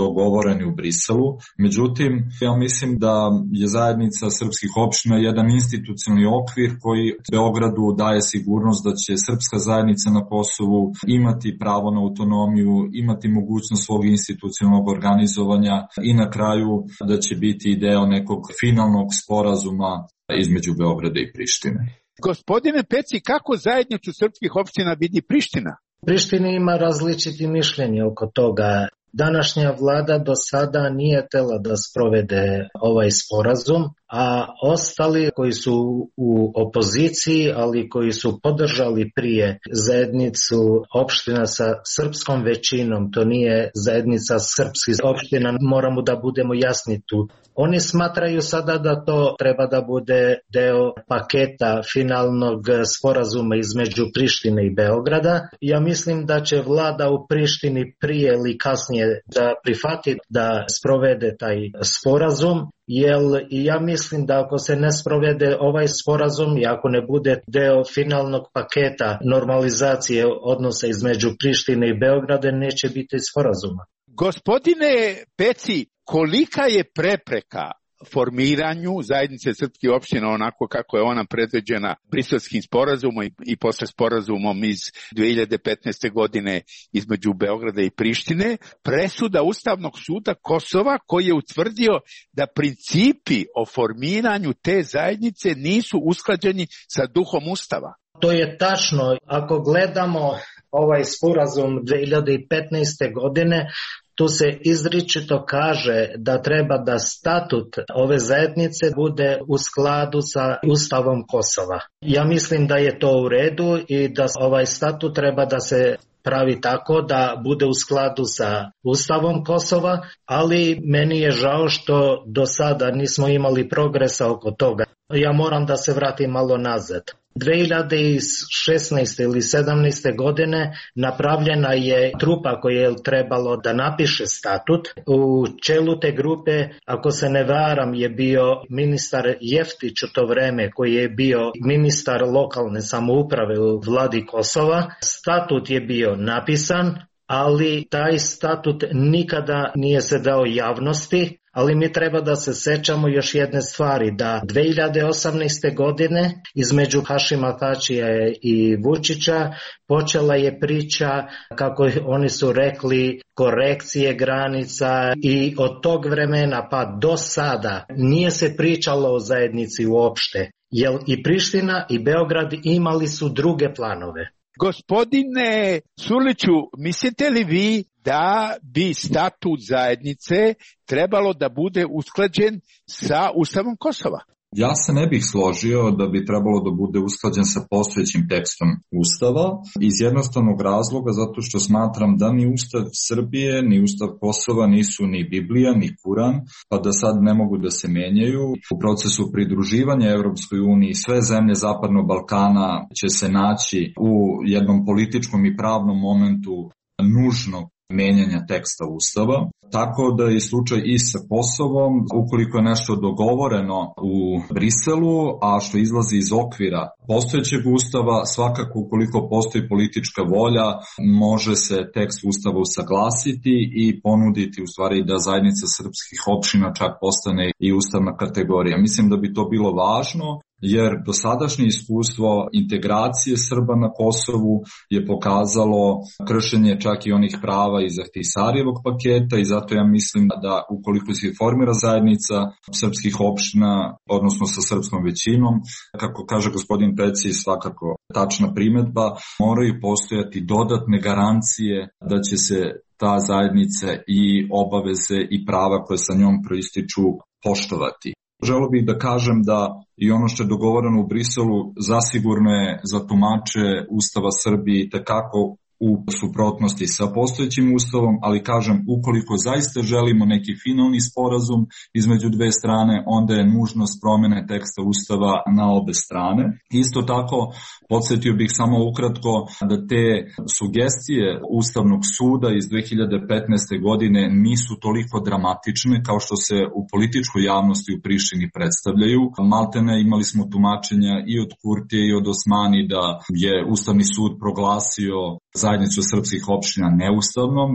dogovoreni u Briselu. Međutim, ja mislim da je zajednica srpskih opština jedan institucionalni okvir koji Beogradu daje sigurnost da će srpska zajednica na Kosovu imati pravo na autonomiju, imati mogućnost svog institucionalnog organizovanja i na kraju da će biti deo nekog finalnog sporazuma između Beograda i Prištine. Gospodine Peci, kako zajednicu srpskih opština vidi Priština? Prištini ima različiti mišljenje oko toga. Današnja vlada do sada nije htjela da sprovede ovaj sporazum, a ostali koji su u opoziciji, ali koji su podržali prije zajednicu opština sa srpskom većinom, to nije zajednica srpskih opština, moramo da budemo jasni tu. Oni smatraju sada da to treba da bude deo paketa finalnog sporazuma između Prištine i Beograda. Ja mislim da će vlada u Prištini prije ili kasnije da prihvati da sprovede taj sporazum, jer ja mislim da ako se ne sprovede ovaj sporazum i ako ne bude deo finalnog paketa normalizacije odnosa između Prištine i Beograda, neće biti sporazuma. Gospodine Peci, kolika je prepreka formiranju zajednice srpskih opština onako kako je ona predviđena Briselskim sporazumom i, i posle sporazumom iz dve hiljade petnaeste. godine između Beograda i Prištine, presuda Ustavnog suda Kosova koji je utvrdio da principi o formiranju te zajednice nisu usklađeni sa duhom Ustava? To je tačno. Ako gledamo ovaj sporazum dve hiljade petnaeste. godine, tu se izričito kaže da treba da statut ove zajednice bude u skladu sa Ustavom Kosova. Ja mislim da je to u redu i da ovaj statut treba da se pravi tako da bude u skladu sa Ustavom Kosova, ali meni je žao što do sada nismo imali progresa oko toga. Ja moram da se vratim malo nazad. dve hiljade šesnaeste. ili sedamnaeste. godine napravljena je trupa koja je trebalo da napiše statut. U čelu te grupe, ako se ne varam, je bio ministar Jeftić u to vreme, koji je bio ministar lokalne samouprave u vladi Kosova. Statut je bio napisan, ali taj statut nikada nije se dao javnosti. Ali mi treba da se sećamo još jedne stvari, da dve hiljade osamnaeste. godine između Hašima Tačija i Vučića počela je priča, kako oni su rekli, korekcije granica i od tog vremena pa do sada nije se pričalo o zajednici uopšte, jer i Priština i Beograd imali su druge planove. Gospodine Surliću, mislite li vi da bi statut zajednice trebalo da bude usklađen sa Ustavom Kosova? Ja se ne bih složio da bi trebalo da bude usklađen sa postojećim tekstom Ustava iz jednostavnog razloga zato što smatram da ni Ustav Srbije, ni Ustav Kosova nisu ni Biblija, ni Kuran, pa da sad ne mogu da se menjaju. U procesu pridruživanja Evropskoj uniji sve zemlje Zapadnog Balkana će se naći u jednom političkom i pravnom momentu nužnog menjanja teksta Ustava, tako da je slučaj i sa Kosovom, ukoliko je nešto dogovoreno u Briselu, a što izlazi iz okvira postojećeg Ustava, svakako ukoliko postoji politička volja, može se tekst Ustava usaglasiti i ponuditi u stvari da zajednica srpskih opština čak postane i ustavna kategorija. Mislim da bi to bilo važno, jer dosadašnje iskustvo integracije Srba na Kosovu je pokazalo kršenje čak i onih prava iz Ahtisarjevog paketa i zato ja mislim da ukoliko se formira zajednica srpskih opština, odnosno sa srpskom većinom, kako kaže gospodin Peci, svakako tačna primedba, moraju postojati dodatne garancije da će se ta zajednica i obaveze i prava koje sa njom proističu poštovati. Želeo bih da kažem da i ono što je dogovoreno u Briselu zasigurno je za tumače Ustava Srbije tekako u suprotnosti sa postojećim ustavom, ali kažem, ukoliko zaista želimo neki finalni sporazum između dve strane, onda je nužnost promene teksta ustava na obe strane. Isto tako, podsjetio bih samo ukratko da te sugestije Ustavnog suda iz dve hiljade petnaeste. godine nisu toliko dramatične kao što se u političkoj javnosti u Prištini predstavljaju. Maltene imali smo tumačenja i od Kurtije i od Osmani da je Ustavni sud proglasio zajednicu srpskih opština neustavnom.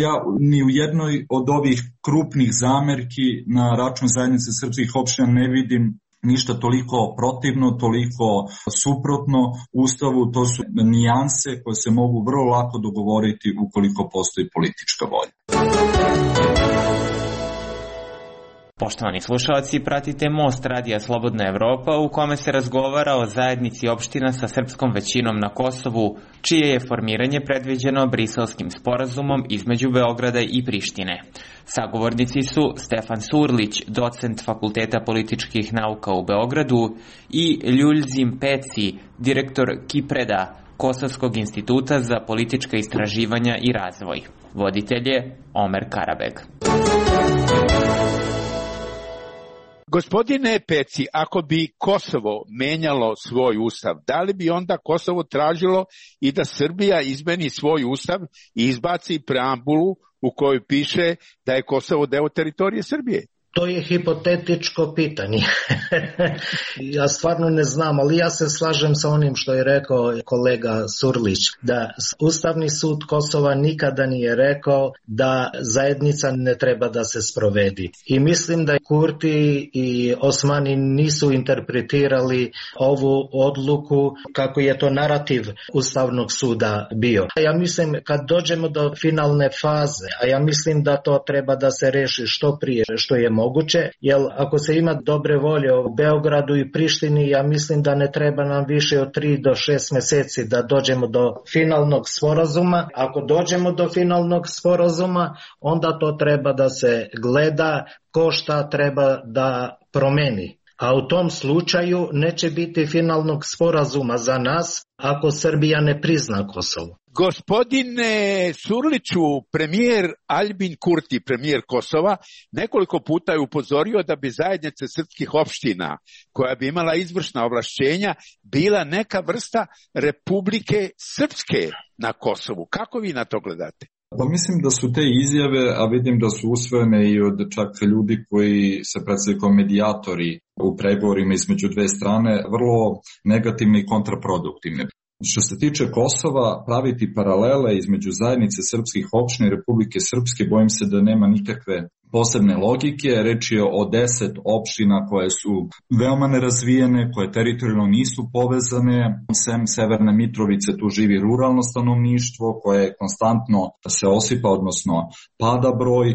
Ja ni u jednoj od ovih krupnih zamerki na račun zajednice srpskih opština ne vidim ništa toliko protivno, toliko suprotno Ustavu. To su nijanse koje se mogu vrlo lako dogovoriti ukoliko postoji politička volja. Poštovani slušalci, pratite Most radija Slobodna Evropa u kome se razgovara o zajednici opština sa srpskom većinom na Kosovu, čije je formiranje predviđeno Briselskim sporazumom između Beograda i Prištine. Sagovornici su Stefan Surlić, docent Fakulteta političkih nauka u Beogradu, i Ljuljzim Peci, direktor Kipreda, Kosovskog instituta za politička istraživanja i razvoj. Voditelj je Omer Karabeg. Gospodine Peci, ako bi Kosovo menjalo svoj ustav, da li bi onda Kosovo tražilo i da Srbija izmeni svoj ustav i izbaci preambulu u kojoj piše da je Kosovo deo teritorije Srbije? To je hipotetičko pitanje. Ja stvarno ne znam, ali ja se slažem sa onim što je rekao kolega Surlić, da Ustavni sud Kosova nikada nije rekao da zajednica ne treba da se sprovedi. I mislim da Kurti i Osmani nisu interpretirali ovu odluku kako je to narativ Ustavnog suda bio. Ja mislim kad dođemo do finalne faze, a ja mislim da to treba da se reši što prije, što je moguće, moguće, jer ako se ima dobre volje u Beogradu i Prištini, ja mislim da ne treba nam više od tri do šest meseci da dođemo do finalnog sporazuma. Ako dođemo do finalnog sporazuma, onda to treba da se gleda ko šta treba da promeni. A u tom slučaju neće biti finalnog sporazuma za nas ako Srbija ne prizna Kosovo. Gospodine Surliću, premijer Aljbin Kurti, premijer Kosova, nekoliko puta je upozorio da bi zajednica srpskih opština, koja bi imala izvršna ovlašćenja, bila neka vrsta Republike Srpske na Kosovu. Kako vi na to gledate? Pa mislim da su te izjave, a vidim da su usvojene i od čak ljudi koji se predstavljaju kao medijatori u pregovorima između dve strane, vrlo negativne i kontraproduktivne. Što se tiče Kosova, praviti paralele između zajednice srpskih opština i Republike Srpske, bojim se da nema nikakve posebne logike. Reč je o deset opština koje su veoma nerazvijene, koje teritorijalno nisu povezane. Sem Severne Mitrovice tu živi ruralno stanovništvo koje konstantno se osipa, odnosno pada broj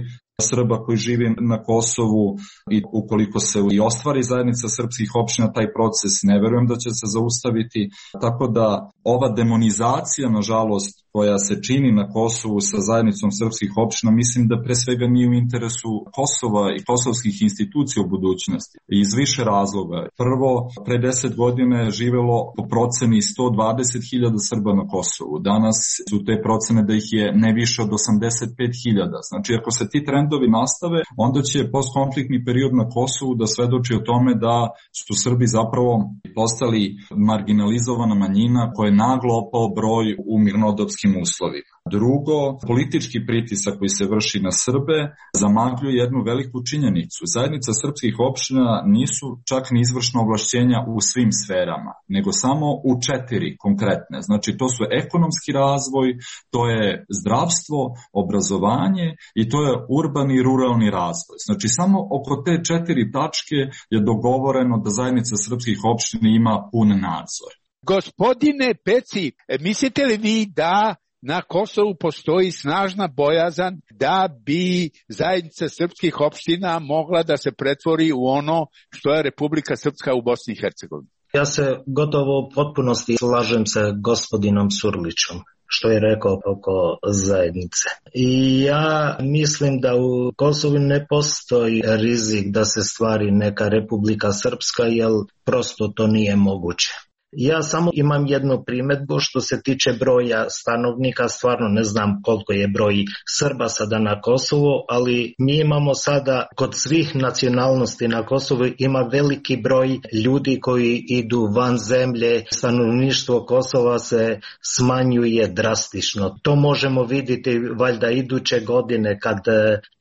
Srba koji živi na Kosovu, i ukoliko se i ostvari zajednica srpskih opština, taj proces ne verujem da će se zaustaviti. Tako da ova demonizacija, nažalost, koja se čini na Kosovu sa zajednicom srpskih opština, mislim da pre svega nije u interesu Kosova i kosovskih institucija u budućnosti. Iz više razloga. Prvo, pre deset godina je živelo po proceni sto dvadeset hiljada Srba na Kosovu. Danas su te procene da ih je ne više od osamdeset pet hiljada. Znači, ako se ti trendovi nastave, onda će postkonfliktni period na Kosovu da svedoči o tome da su Srbi zapravo postali marginalizovana manjina koja je naglo opao broj u mirnodopskim uslovima. Drugo, politički pritisak koji se vrši na Srbe zamagljuje jednu veliku činjenicu. Zajednica srpskih opština nisu čak ni izvršna ovlašćenja u svim sferama, nego samo u četiri konkretne. Znači, to su ekonomski razvoj, to je zdravstvo, obrazovanje i to je urbani i ruralni razvoj. Znači, samo oko te četiri tačke je dogovoreno da zajednica srpskih opština ima pun nadzor. Gospodine Peci, mislite li vi da na Kosovu postoji snažna bojazan da bi zajednica srpskih opština mogla da se pretvori u ono što je Republika Srpska u Bosni i Hercegovini? Ja se gotovo u potpunosti slažem sa gospodinom Surlićom što je rekao oko zajednice. I ja mislim da u Kosovu ne postoji rizik da se stvari neka Republika Srpska, jer prosto to nije moguće. Ja samo imam jednu primjedbu što se tiče broja stanovnika, stvarno ne znam koliko je broj Srba sada na Kosovu, ali mi imamo sada kod svih nacionalnosti na Kosovu ima veliki broj ljudi koji idu van zemlje, stanovništvo Kosova se smanjuje drastično. To možemo vidjeti valjda iduće godine kad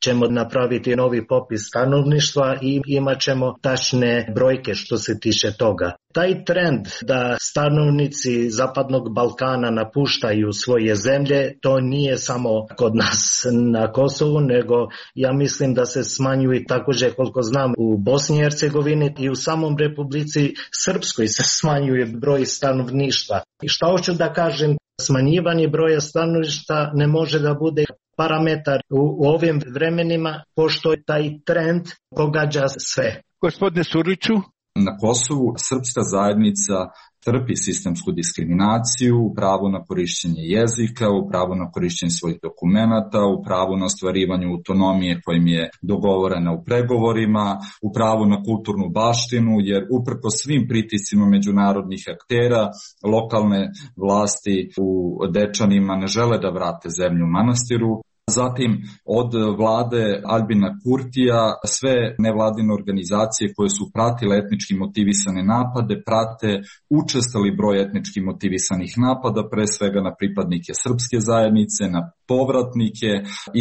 ćemo napraviti novi popis stanovništva i imat ćemo tačne brojke što se tiče toga. Taj trend da da stanovnici Zapadnog Balkana napuštaju svoje zemlje, to nije samo kod nas na Kosovu, nego ja mislim da se smanjuje također, koliko znam, u Bosni i Hercegovini i u samom Republici Srpskoj se smanjuje broj stanovništva. I šta hoću da kažem, smanjivanje broja stanovništva ne može da bude parametar u, u ovim vremenima, pošto taj trend pogađa sve. Gospodine Surliću? Na Kosovu srpska zajednica trpi sistemsku diskriminaciju u pravu na korišćenje jezika, u pravu na korišćenje svojih dokumenata, u pravu na ostvarivanju autonomije kojim je dogovorena u pregovorima, u pravu na kulturnu baštinu, jer uprko svim pritiscima međunarodnih aktera, lokalne vlasti u Dečanima ne žele da vrate zemlju manastiru. Zatim od vlade Albina Kurtija sve nevladine organizacije koje su pratile etnički motivisane napade prate učestali broj etnički motivisanih napada, pre svega na pripadnike srpske zajednice, na povratnike,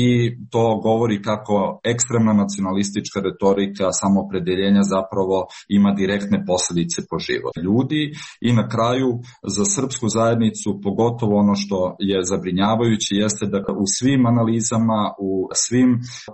i to govori kako ekstremna nacionalistička retorika samoopredeljenja zapravo ima direktne posljedice po život ljudi. I na kraju za srpsku zajednicu pogotovo ono što je zabrinjavajuće jeste da u svim analizama, u svim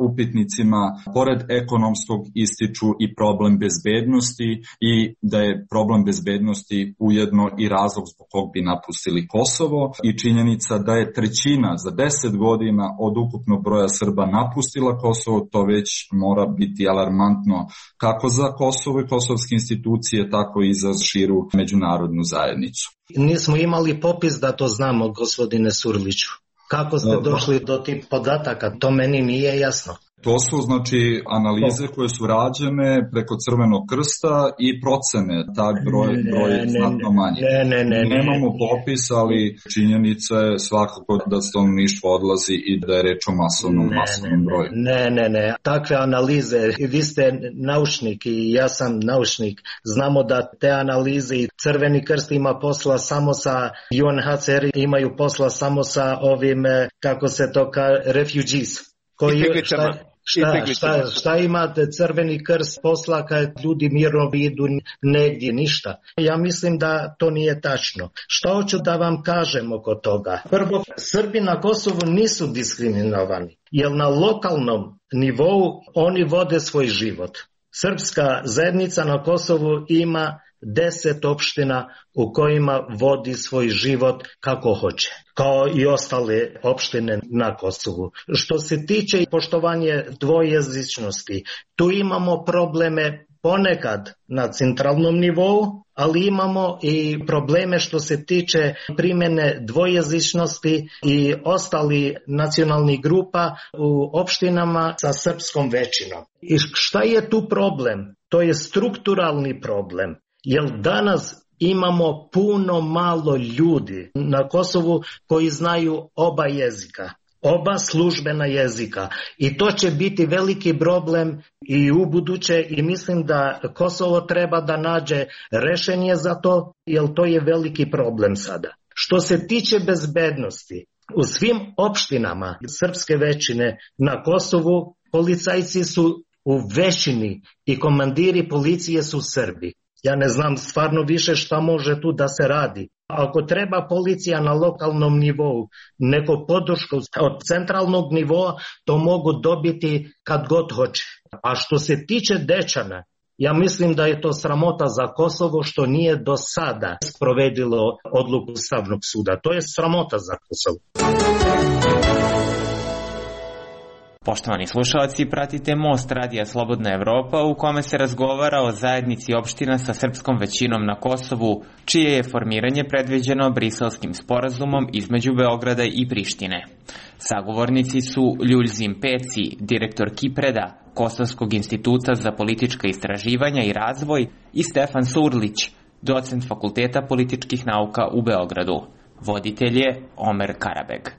upitnicima pored ekonomskog ističu i problem bezbednosti, i da je problem bezbednosti ujedno i razlog zbog kog bi napustili Kosovo, i činjenica da je trećina za deset godina od ukupnog broja Srba napustila Kosovo, to već mora biti alarmantno kako za Kosovo i kosovske institucije, tako i za širu međunarodnu zajednicu. Nismo imali popis da to znamo, gospodine Surliću. Kako ste došli do tih podataka? To meni nije jasno. To su znači analize koje su rađene preko Crvenog krsta i procene, tak broj, broj je znatno manje. Ne, ne, ne, ne. Nemamo popis, ali činjenica je svakako da stanovništvo odlazi i da je reč o masovnom, ne, masovnom broju. Ne, ne, ne. Takve analize, vi ste naučnik i ja sam naučnik, znamo da te analize i Crveni krst ima posla samo sa U N H C R, imaju posla samo sa ovim, kako se to kaže, refugees. Koji, šta, šta, šta, šta imate Crveni krst posla kad ljudi mirno idu negdje, ništa. Ja mislim da to nije tačno. Šta hoću da vam kažem oko toga? Prvo, Srbi na Kosovu nisu diskriminovani, jer na lokalnom nivou oni vode svoj život. Srpska zajednica na Kosovu ima deset opština u kojima vodi svoj život kako hoće, kao i ostale opštine na Kosovu. Što se tiče poštovanja dvojezičnosti, tu imamo probleme ponekad na centralnom nivou, ali imamo i probleme što se tiče primjene dvojezičnosti i ostali nacionalnih grupa u opštinama sa srpskom većinom. I šta je tu problem? To je strukturalni problem. Jer danas imamo puno malo ljudi na Kosovu koji znaju oba jezika, oba službena jezika. I to će biti veliki problem i u buduće, i mislim da Kosovo treba da nađe rešenje za to, jer to je veliki problem sada. Što se tiče bezbednosti, u svim opštinama srpske većine na Kosovu policajci su u većini i komandiri policije su Srbi. Ja ne znam stvarno više šta može tu da se radi. Ako treba policija na lokalnom nivou, neko podršku od centralnog nivoa, to mogu dobiti kad god hoće. A što se tiče Dečana, ja mislim da je to sramota za Kosovo što nije do sada sprovedilo odluku Ustavnog suda. To je sramota za Kosovo. Poštovani slušalci, pratite Most Radija Slobodna Evropa u kome se razgovara o zajednici opština sa srpskom većinom na Kosovu, čije je formiranje predviđeno Briselskim sporazumom između Beograda i Prištine. Sagovornici su Ljuljzim Peci, direktor Kipreda, Kosovskog instituta za politička istraživanja i razvoj, i Stefan Surlić, docent Fakulteta političkih nauka u Beogradu. Voditelj je Omer Karabeg.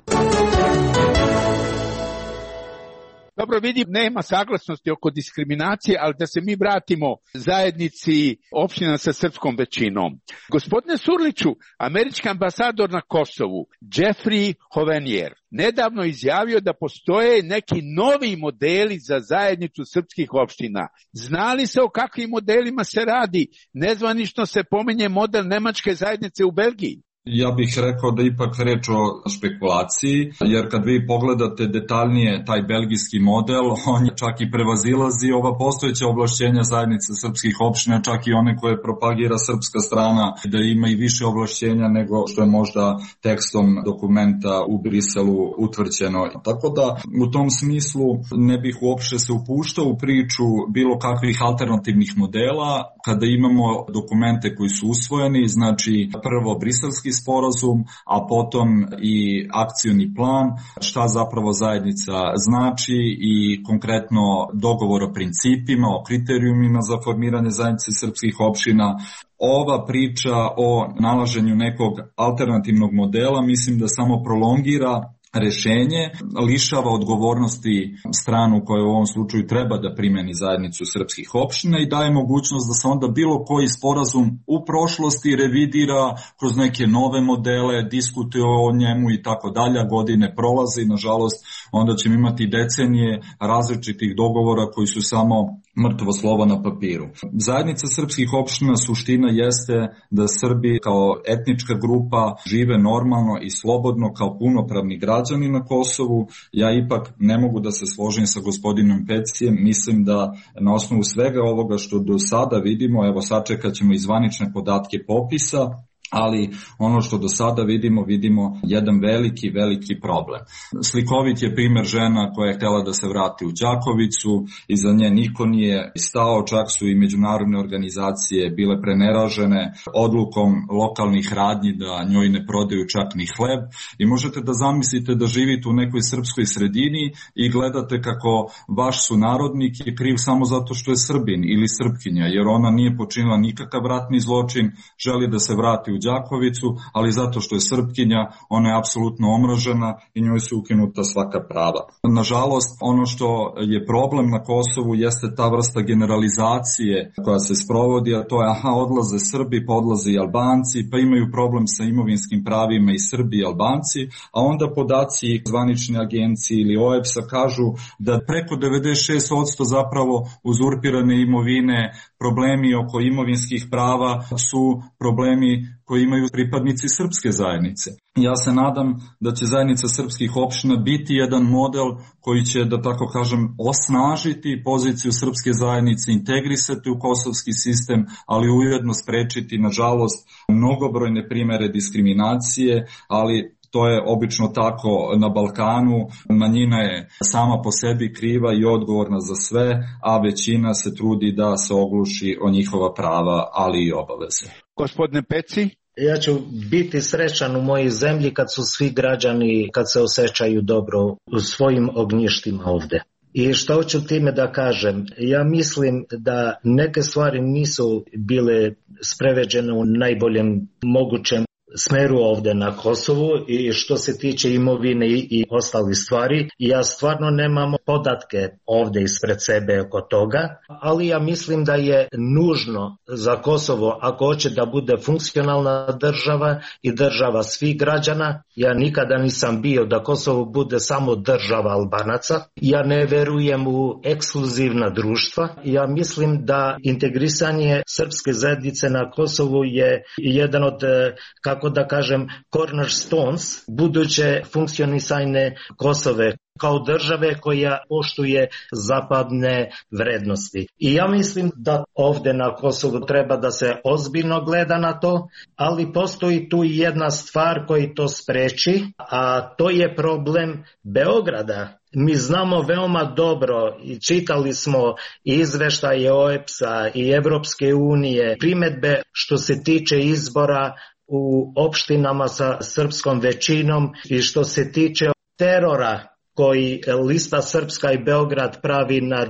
dobro vidi, nema saglasnosti oko diskriminacije, ali da se mi vratimo zajednici opština sa srpskom većinom. Gospodine Surliću, američki ambasador na Kosovu, Jeffrey Hovenier, nedavno izjavio da postoje neki novi modeli za zajednicu srpskih opština. Zna li se o kakvim modelima se radi? Nezvanično se pominje model nemačke zajednice u Belgiji. Ja bih rekao da ipak reč o špekulaciji, jer kad vi pogledate detaljnije taj belgijski model, on čak i prevazilazi ova postojeća ovlašćenja zajednice srpskih opština, čak i one koje propagira srpska strana, da ima i više ovlašćenja nego što je možda tekstom dokumenta u Briselu utvrđeno. Tako da u tom smislu ne bih uopšte se upuštao u priču bilo kakvih alternativnih modela, kada imamo dokumente koji su usvojeni, znači prvo briselski sporazum, a potom i akcioni plan, šta zapravo zajednica znači i konkretno dogovor o principima, o kriterijumima za formiranje zajednice srpskih opština. Ova priča o nalaženju nekog alternativnog modela mislim da samo prolongira rešenje, lišava odgovornosti stranu koja u ovom slučaju treba da primeni zajednicu srpskih opština i daje mogućnost da se onda bilo koji sporazum u prošlosti revidira kroz neke nove modele, diskutuje o njemu i tako dalje, godine prolaze i nažalost onda ćemo imati decenije različitih dogovora koji su samo mrtvo slovo na papiru. Zajednica srpskih opština suština jeste da Srbi kao etnička grupa žive normalno i slobodno kao punopravni građani na Kosovu. Ja ipak ne mogu da se složim sa gospodinom Pecijem, mislim da na osnovu svega ovoga što do sada vidimo, evo sačekat ćemo i zvanične podatke popisa, ali ono što do sada vidimo, vidimo jedan veliki, veliki problem. Slikovit je primer žena koja je htjela da se vrati u Đakovicu, iza nje niko nije stao, čak su i međunarodne organizacije bile preneražene odlukom lokalnih radnji da njoj ne prodaju čak ni hleb i možete da zamislite da živite u nekoj srpskoj sredini i gledate kako vaš sunarodnik je kriv samo zato što je Srbin ili Srpkinja, jer ona nije počinila nikakav ratni zločin, želi da se vrati u Đakovicu, ali zato što je Srpkinja, ona je apsolutno omražena i njoj su ukinuta svaka prava. Nažalost, ono što je problem na Kosovu jeste ta vrsta generalizacije koja se sprovodi, a to je aha, odlaze Srbi, pa odlaze i Albanci, pa imaju problem sa imovinskim pravima i Srbi i Albanci, a onda podaci zvanične agencije ili O E B S-a kažu da preko devedeset šest posto zapravo uzurpirane imovine, problemi oko imovinskih prava su problemi koji imaju pripadnici srpske zajednice. Ja se nadam da će zajednica srpskih opština biti jedan model koji će, da tako kažem, osnažiti poziciju srpske zajednice, integrisati u kosovski sistem, ali ujedno sprečiti, nažalost, mnogobrojne primere diskriminacije, ali to je obično tako na Balkanu, manjina je sama po sebi kriva i odgovorna za sve, a većina se trudi da se ogluši o njihova prava, ali i obaveze. Gospodine Peci? Ja ću biti srećan u mojoj zemlji kad su svi građani, kad se osjećaju dobro u svojim ognjištima ovde. I što hoću time da kažem? Ja mislim da neke stvari nisu bile spreveđene u najboljem mogućem smeru ovde na Kosovu i što se tiče imovine i, i ostalih stvari. Ja stvarno nemam podatke ovde ispred sebe oko toga, ali ja mislim da je nužno za Kosovo, ako hoće da bude funkcionalna država i država svih građana, ja nikada nisam bio da Kosovo bude samo država Albanaca, ja ne verujem u ekskluzivna društva, ja mislim da integrisanje srpske zajednice na Kosovu je jedan od, kako da kažem, cornerstones buduće funkcionisanje Kosove kao države koja poštuje zapadne vrednosti. I ja mislim da ovde na Kosovu treba da se ozbiljno gleda na to, ali postoji tu jedna stvar koja to spreči, a to je problem Beograda. Mi znamo veoma dobro i čitali smo izveštaje O E B S-a i Evropske unije, primedbe što se tiče izbora u opštinama sa srpskom većinom i što se tiče terora koji lista Srpska i Beograd pravi nad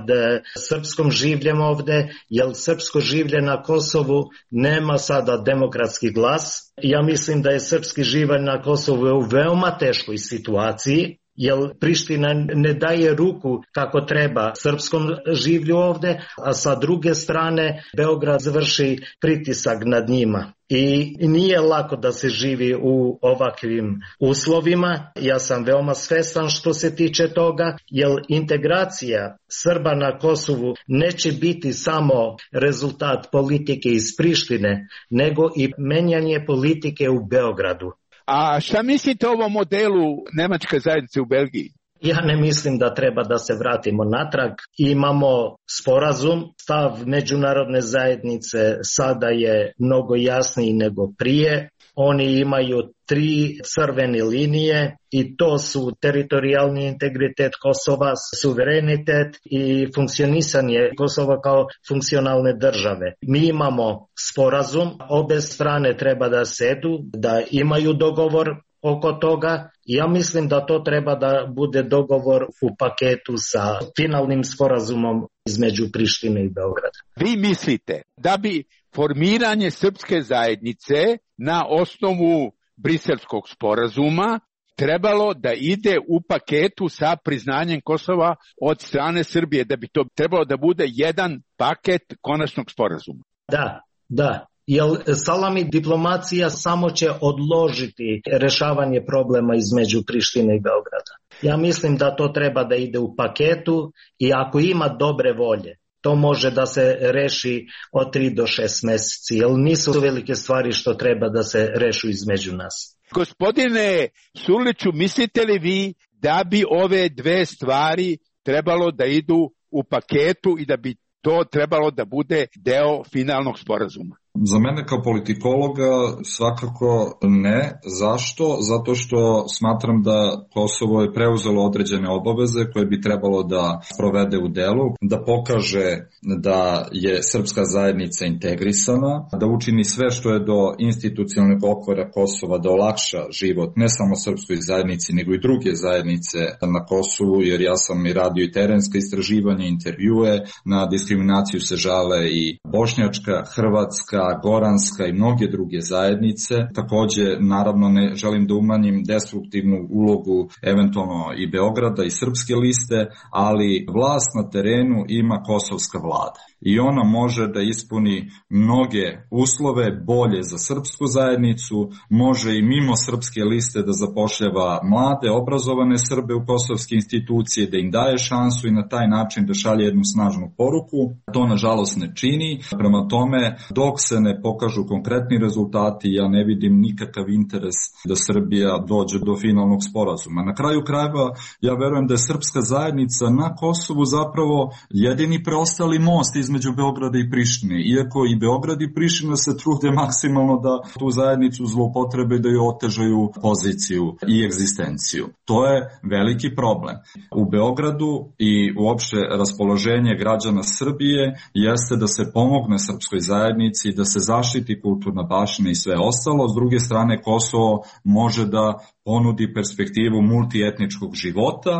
srpskom življem ovde, jer srpsko življe na Kosovu nema sada demokratski glas. Ja mislim da je srpski življe na Kosovu u veoma teškoj situaciji. jer Priština ne daje ruku kako treba srpskom življu ovde, a sa druge strane Beograd vrši pritisak nad njima. I nije lako da se živi u ovakvim uslovima. Ja sam veoma svestan što se tiče toga, jer integracija Srba na Kosovu neće biti samo rezultat politike iz Prištine, nego i menjanje politike u Beogradu. A šta mislite o ovom modelu nemačke zajednice u Belgiji? Ja ne mislim da treba da se vratimo natrag. Imamo sporazum, stav međunarodne zajednice sada je mnogo jasniji nego prije. Oni imaju tri crvene linije i to su teritorijalni integritet Kosova, suverenitet i funkcionisanje Kosova kao funkcionalne države. Mi imamo sporazum, obe strane treba da sedu, da imaju dogovor oko toga. Ja mislim da to treba da bude dogovor u paketu sa finalnim sporazumom između Prištine i Beograda. Vi mislite da bi formiranje srpske zajednice na osnovu Briselskog sporazuma trebalo da ide u paketu sa priznanjem Kosova od strane Srbije, da bi to trebalo da bude jedan paket konačnog sporazuma? Da, da. Jer salami diplomacija samo će odložiti rešavanje problema između Prištine i Beograda. Ja mislim da to treba da ide u paketu i ako ima dobre volje, to može da se reši od tri do šest meseci, jer nisu velike stvari što treba da se rešu između nas. Gospodine Surliću, mislite li vi da bi ove dve stvari trebalo da idu u paketu i da bi to trebalo da bude deo finalnog sporazuma? Za mene kao politikologa svakako ne. Zašto? Zato što smatram da Kosovo je preuzelo određene obaveze koje bi trebalo da sprovede u delu, da pokaže da je srpska zajednica integrisana, da učini sve što je do institucionalnog okvira Kosova da olakša život ne samo srpskoj zajednici, nego i druge zajednice na Kosovu, jer ja sam i radio i terenska istraživanja, intervjue, na diskriminaciju se žale i bošnjačka, hrvatska, goranska i mnoge druge zajednice. Takođe, naravno, ne želim da umanjim destruktivnu ulogu eventualno i Beograda i srpske liste, ali vlast na terenu ima kosovska vlada i ona može da ispuni mnoge uslove bolje za srpsku zajednicu, može i mimo srpske liste da zapošljava mlade, obrazovane Srbe u kosovske institucije, da im daje šansu i na taj način da šalje jednu snažnu poruku. To nažalost ne čini. Prema tome, dok se ne pokažu konkretni rezultati, ja ne vidim nikakav interes da Srbija dođe do finalnog sporazuma. Na kraju krajeva, ja verujem da je srpska zajednica na Kosovu zapravo jedini preostali most između Beograda i Prištine, iako i Beograd i Priština se trude maksimalno da tu zajednicu zloupotrebe, da joj otežaju poziciju i egzistenciju. To je veliki problem. U Beogradu i uopšte raspoloženje građana Srbije jeste da se pomogne srpskoj zajednici, da se zaštiti kulturna baština i sve ostalo. S druge strane, Kosovo može da ponudi perspektivu multietničkog života,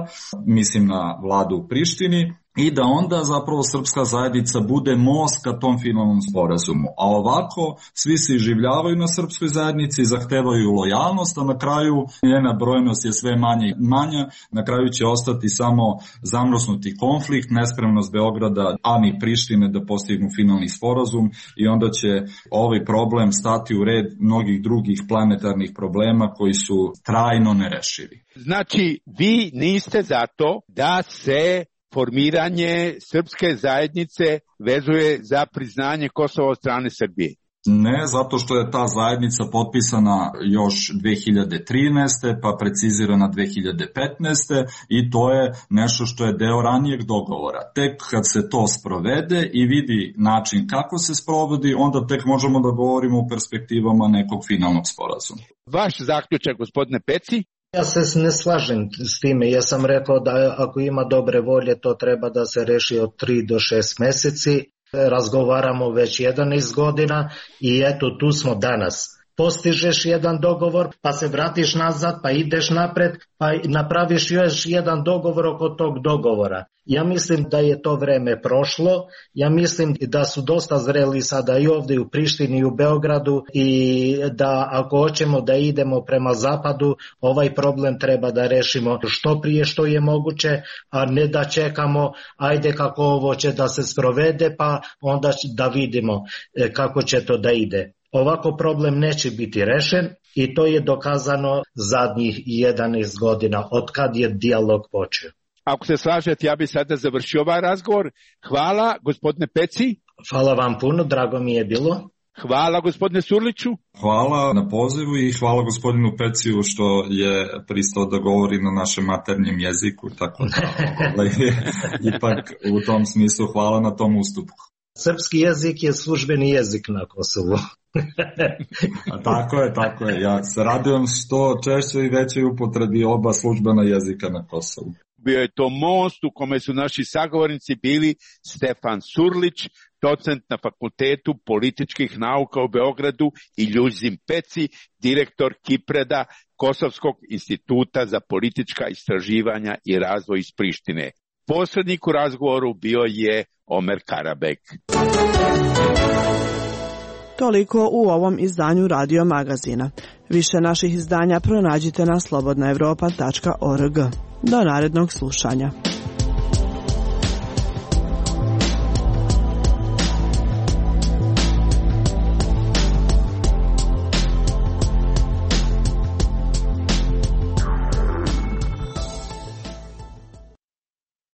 mislim na vladu u Prištini, i da onda zapravo srpska zajednica bude most ka tom finalnom sporazumu. A ovako svi se iživljavaju na srpskoj zajednici, zahtevaju lojalnost, a na kraju njena brojnost je sve manja i manja. Na kraju će ostati samo zamrznuti konflikt, nespremnost Beograda, a ni Prištine da postignu finalni sporazum, i onda će ovaj problem stati u red mnogih drugih planetarnih problema koji su trajno nerešivi. Znači, vi niste za to da se formiranje srpske zajednice vezuje za priznanje Kosova od strane Srbije? Ne, zato što je ta zajednica potpisana još dve hiljade trinaeste. pa precizirana dve hiljade petnaeste. i to je nešto što je deo ranijeg dogovora. Tek kad se to sprovede i vidi način kako se sprovodi, onda tek možemo da govorimo o perspektivama nekog finalnog sporazuma. Vaš zaključak, gospodine Peci? Ja se ne slažem s time. Ja sam rekao da ako ima dobre volje, to treba da se reši od tri do šest meseci. Razgovaramo već jedanaest godina i eto tu smo danas. postižeš jedan dogovor, pa se vratiš nazad, pa ideš napred, pa napraviš još jedan dogovor oko tog dogovora. Ja mislim da je to vreme prošlo, ja mislim da su dosta zreli sada i ovdje u Prištini i u Beogradu i da ako hoćemo da idemo prema zapadu, ovaj problem treba da rešimo što prije što je moguće, a ne da čekamo, ajde kako ovo će da se sprovede, pa onda da vidimo kako će to da ide. Ovako problem neće biti rešen i to je dokazano zadnjih jedanaest godina od kad je dijalog počeo. Ako se slažete, ja bih sada završio ovaj razgovor. Hvala, gospodine Peci. Hvala vam puno, drago mi je bilo. Hvala, gospodine Surliću. Hvala na pozivu i hvala gospodinu Peciju što je pristao da govori na našem maternjem jeziku, tako da ovaj, ipak u tom smislu hvala na tom ustupu. Srpski jezik je službeni jezik na Kosovu. A tako je, tako je. Ja se radujem što češće i veće upotrebi oba službena jezika na Kosovu. Bio je to most u kome su naši sagovornici bili Stefan Surlić, docent na Fakultetu političkih nauka u Beogradu, i Ljuzim Peci, direktor Kipreda, Kosovskog instituta za politička istraživanja i razvoj iz Prištine. Posrednik u razgovoru bio je Omer Karabek. Toliko u ovom izdanju Radio Magazina. Više naših izdanja pronađite na slobodna evropa tačka org. Do narednog slušanja.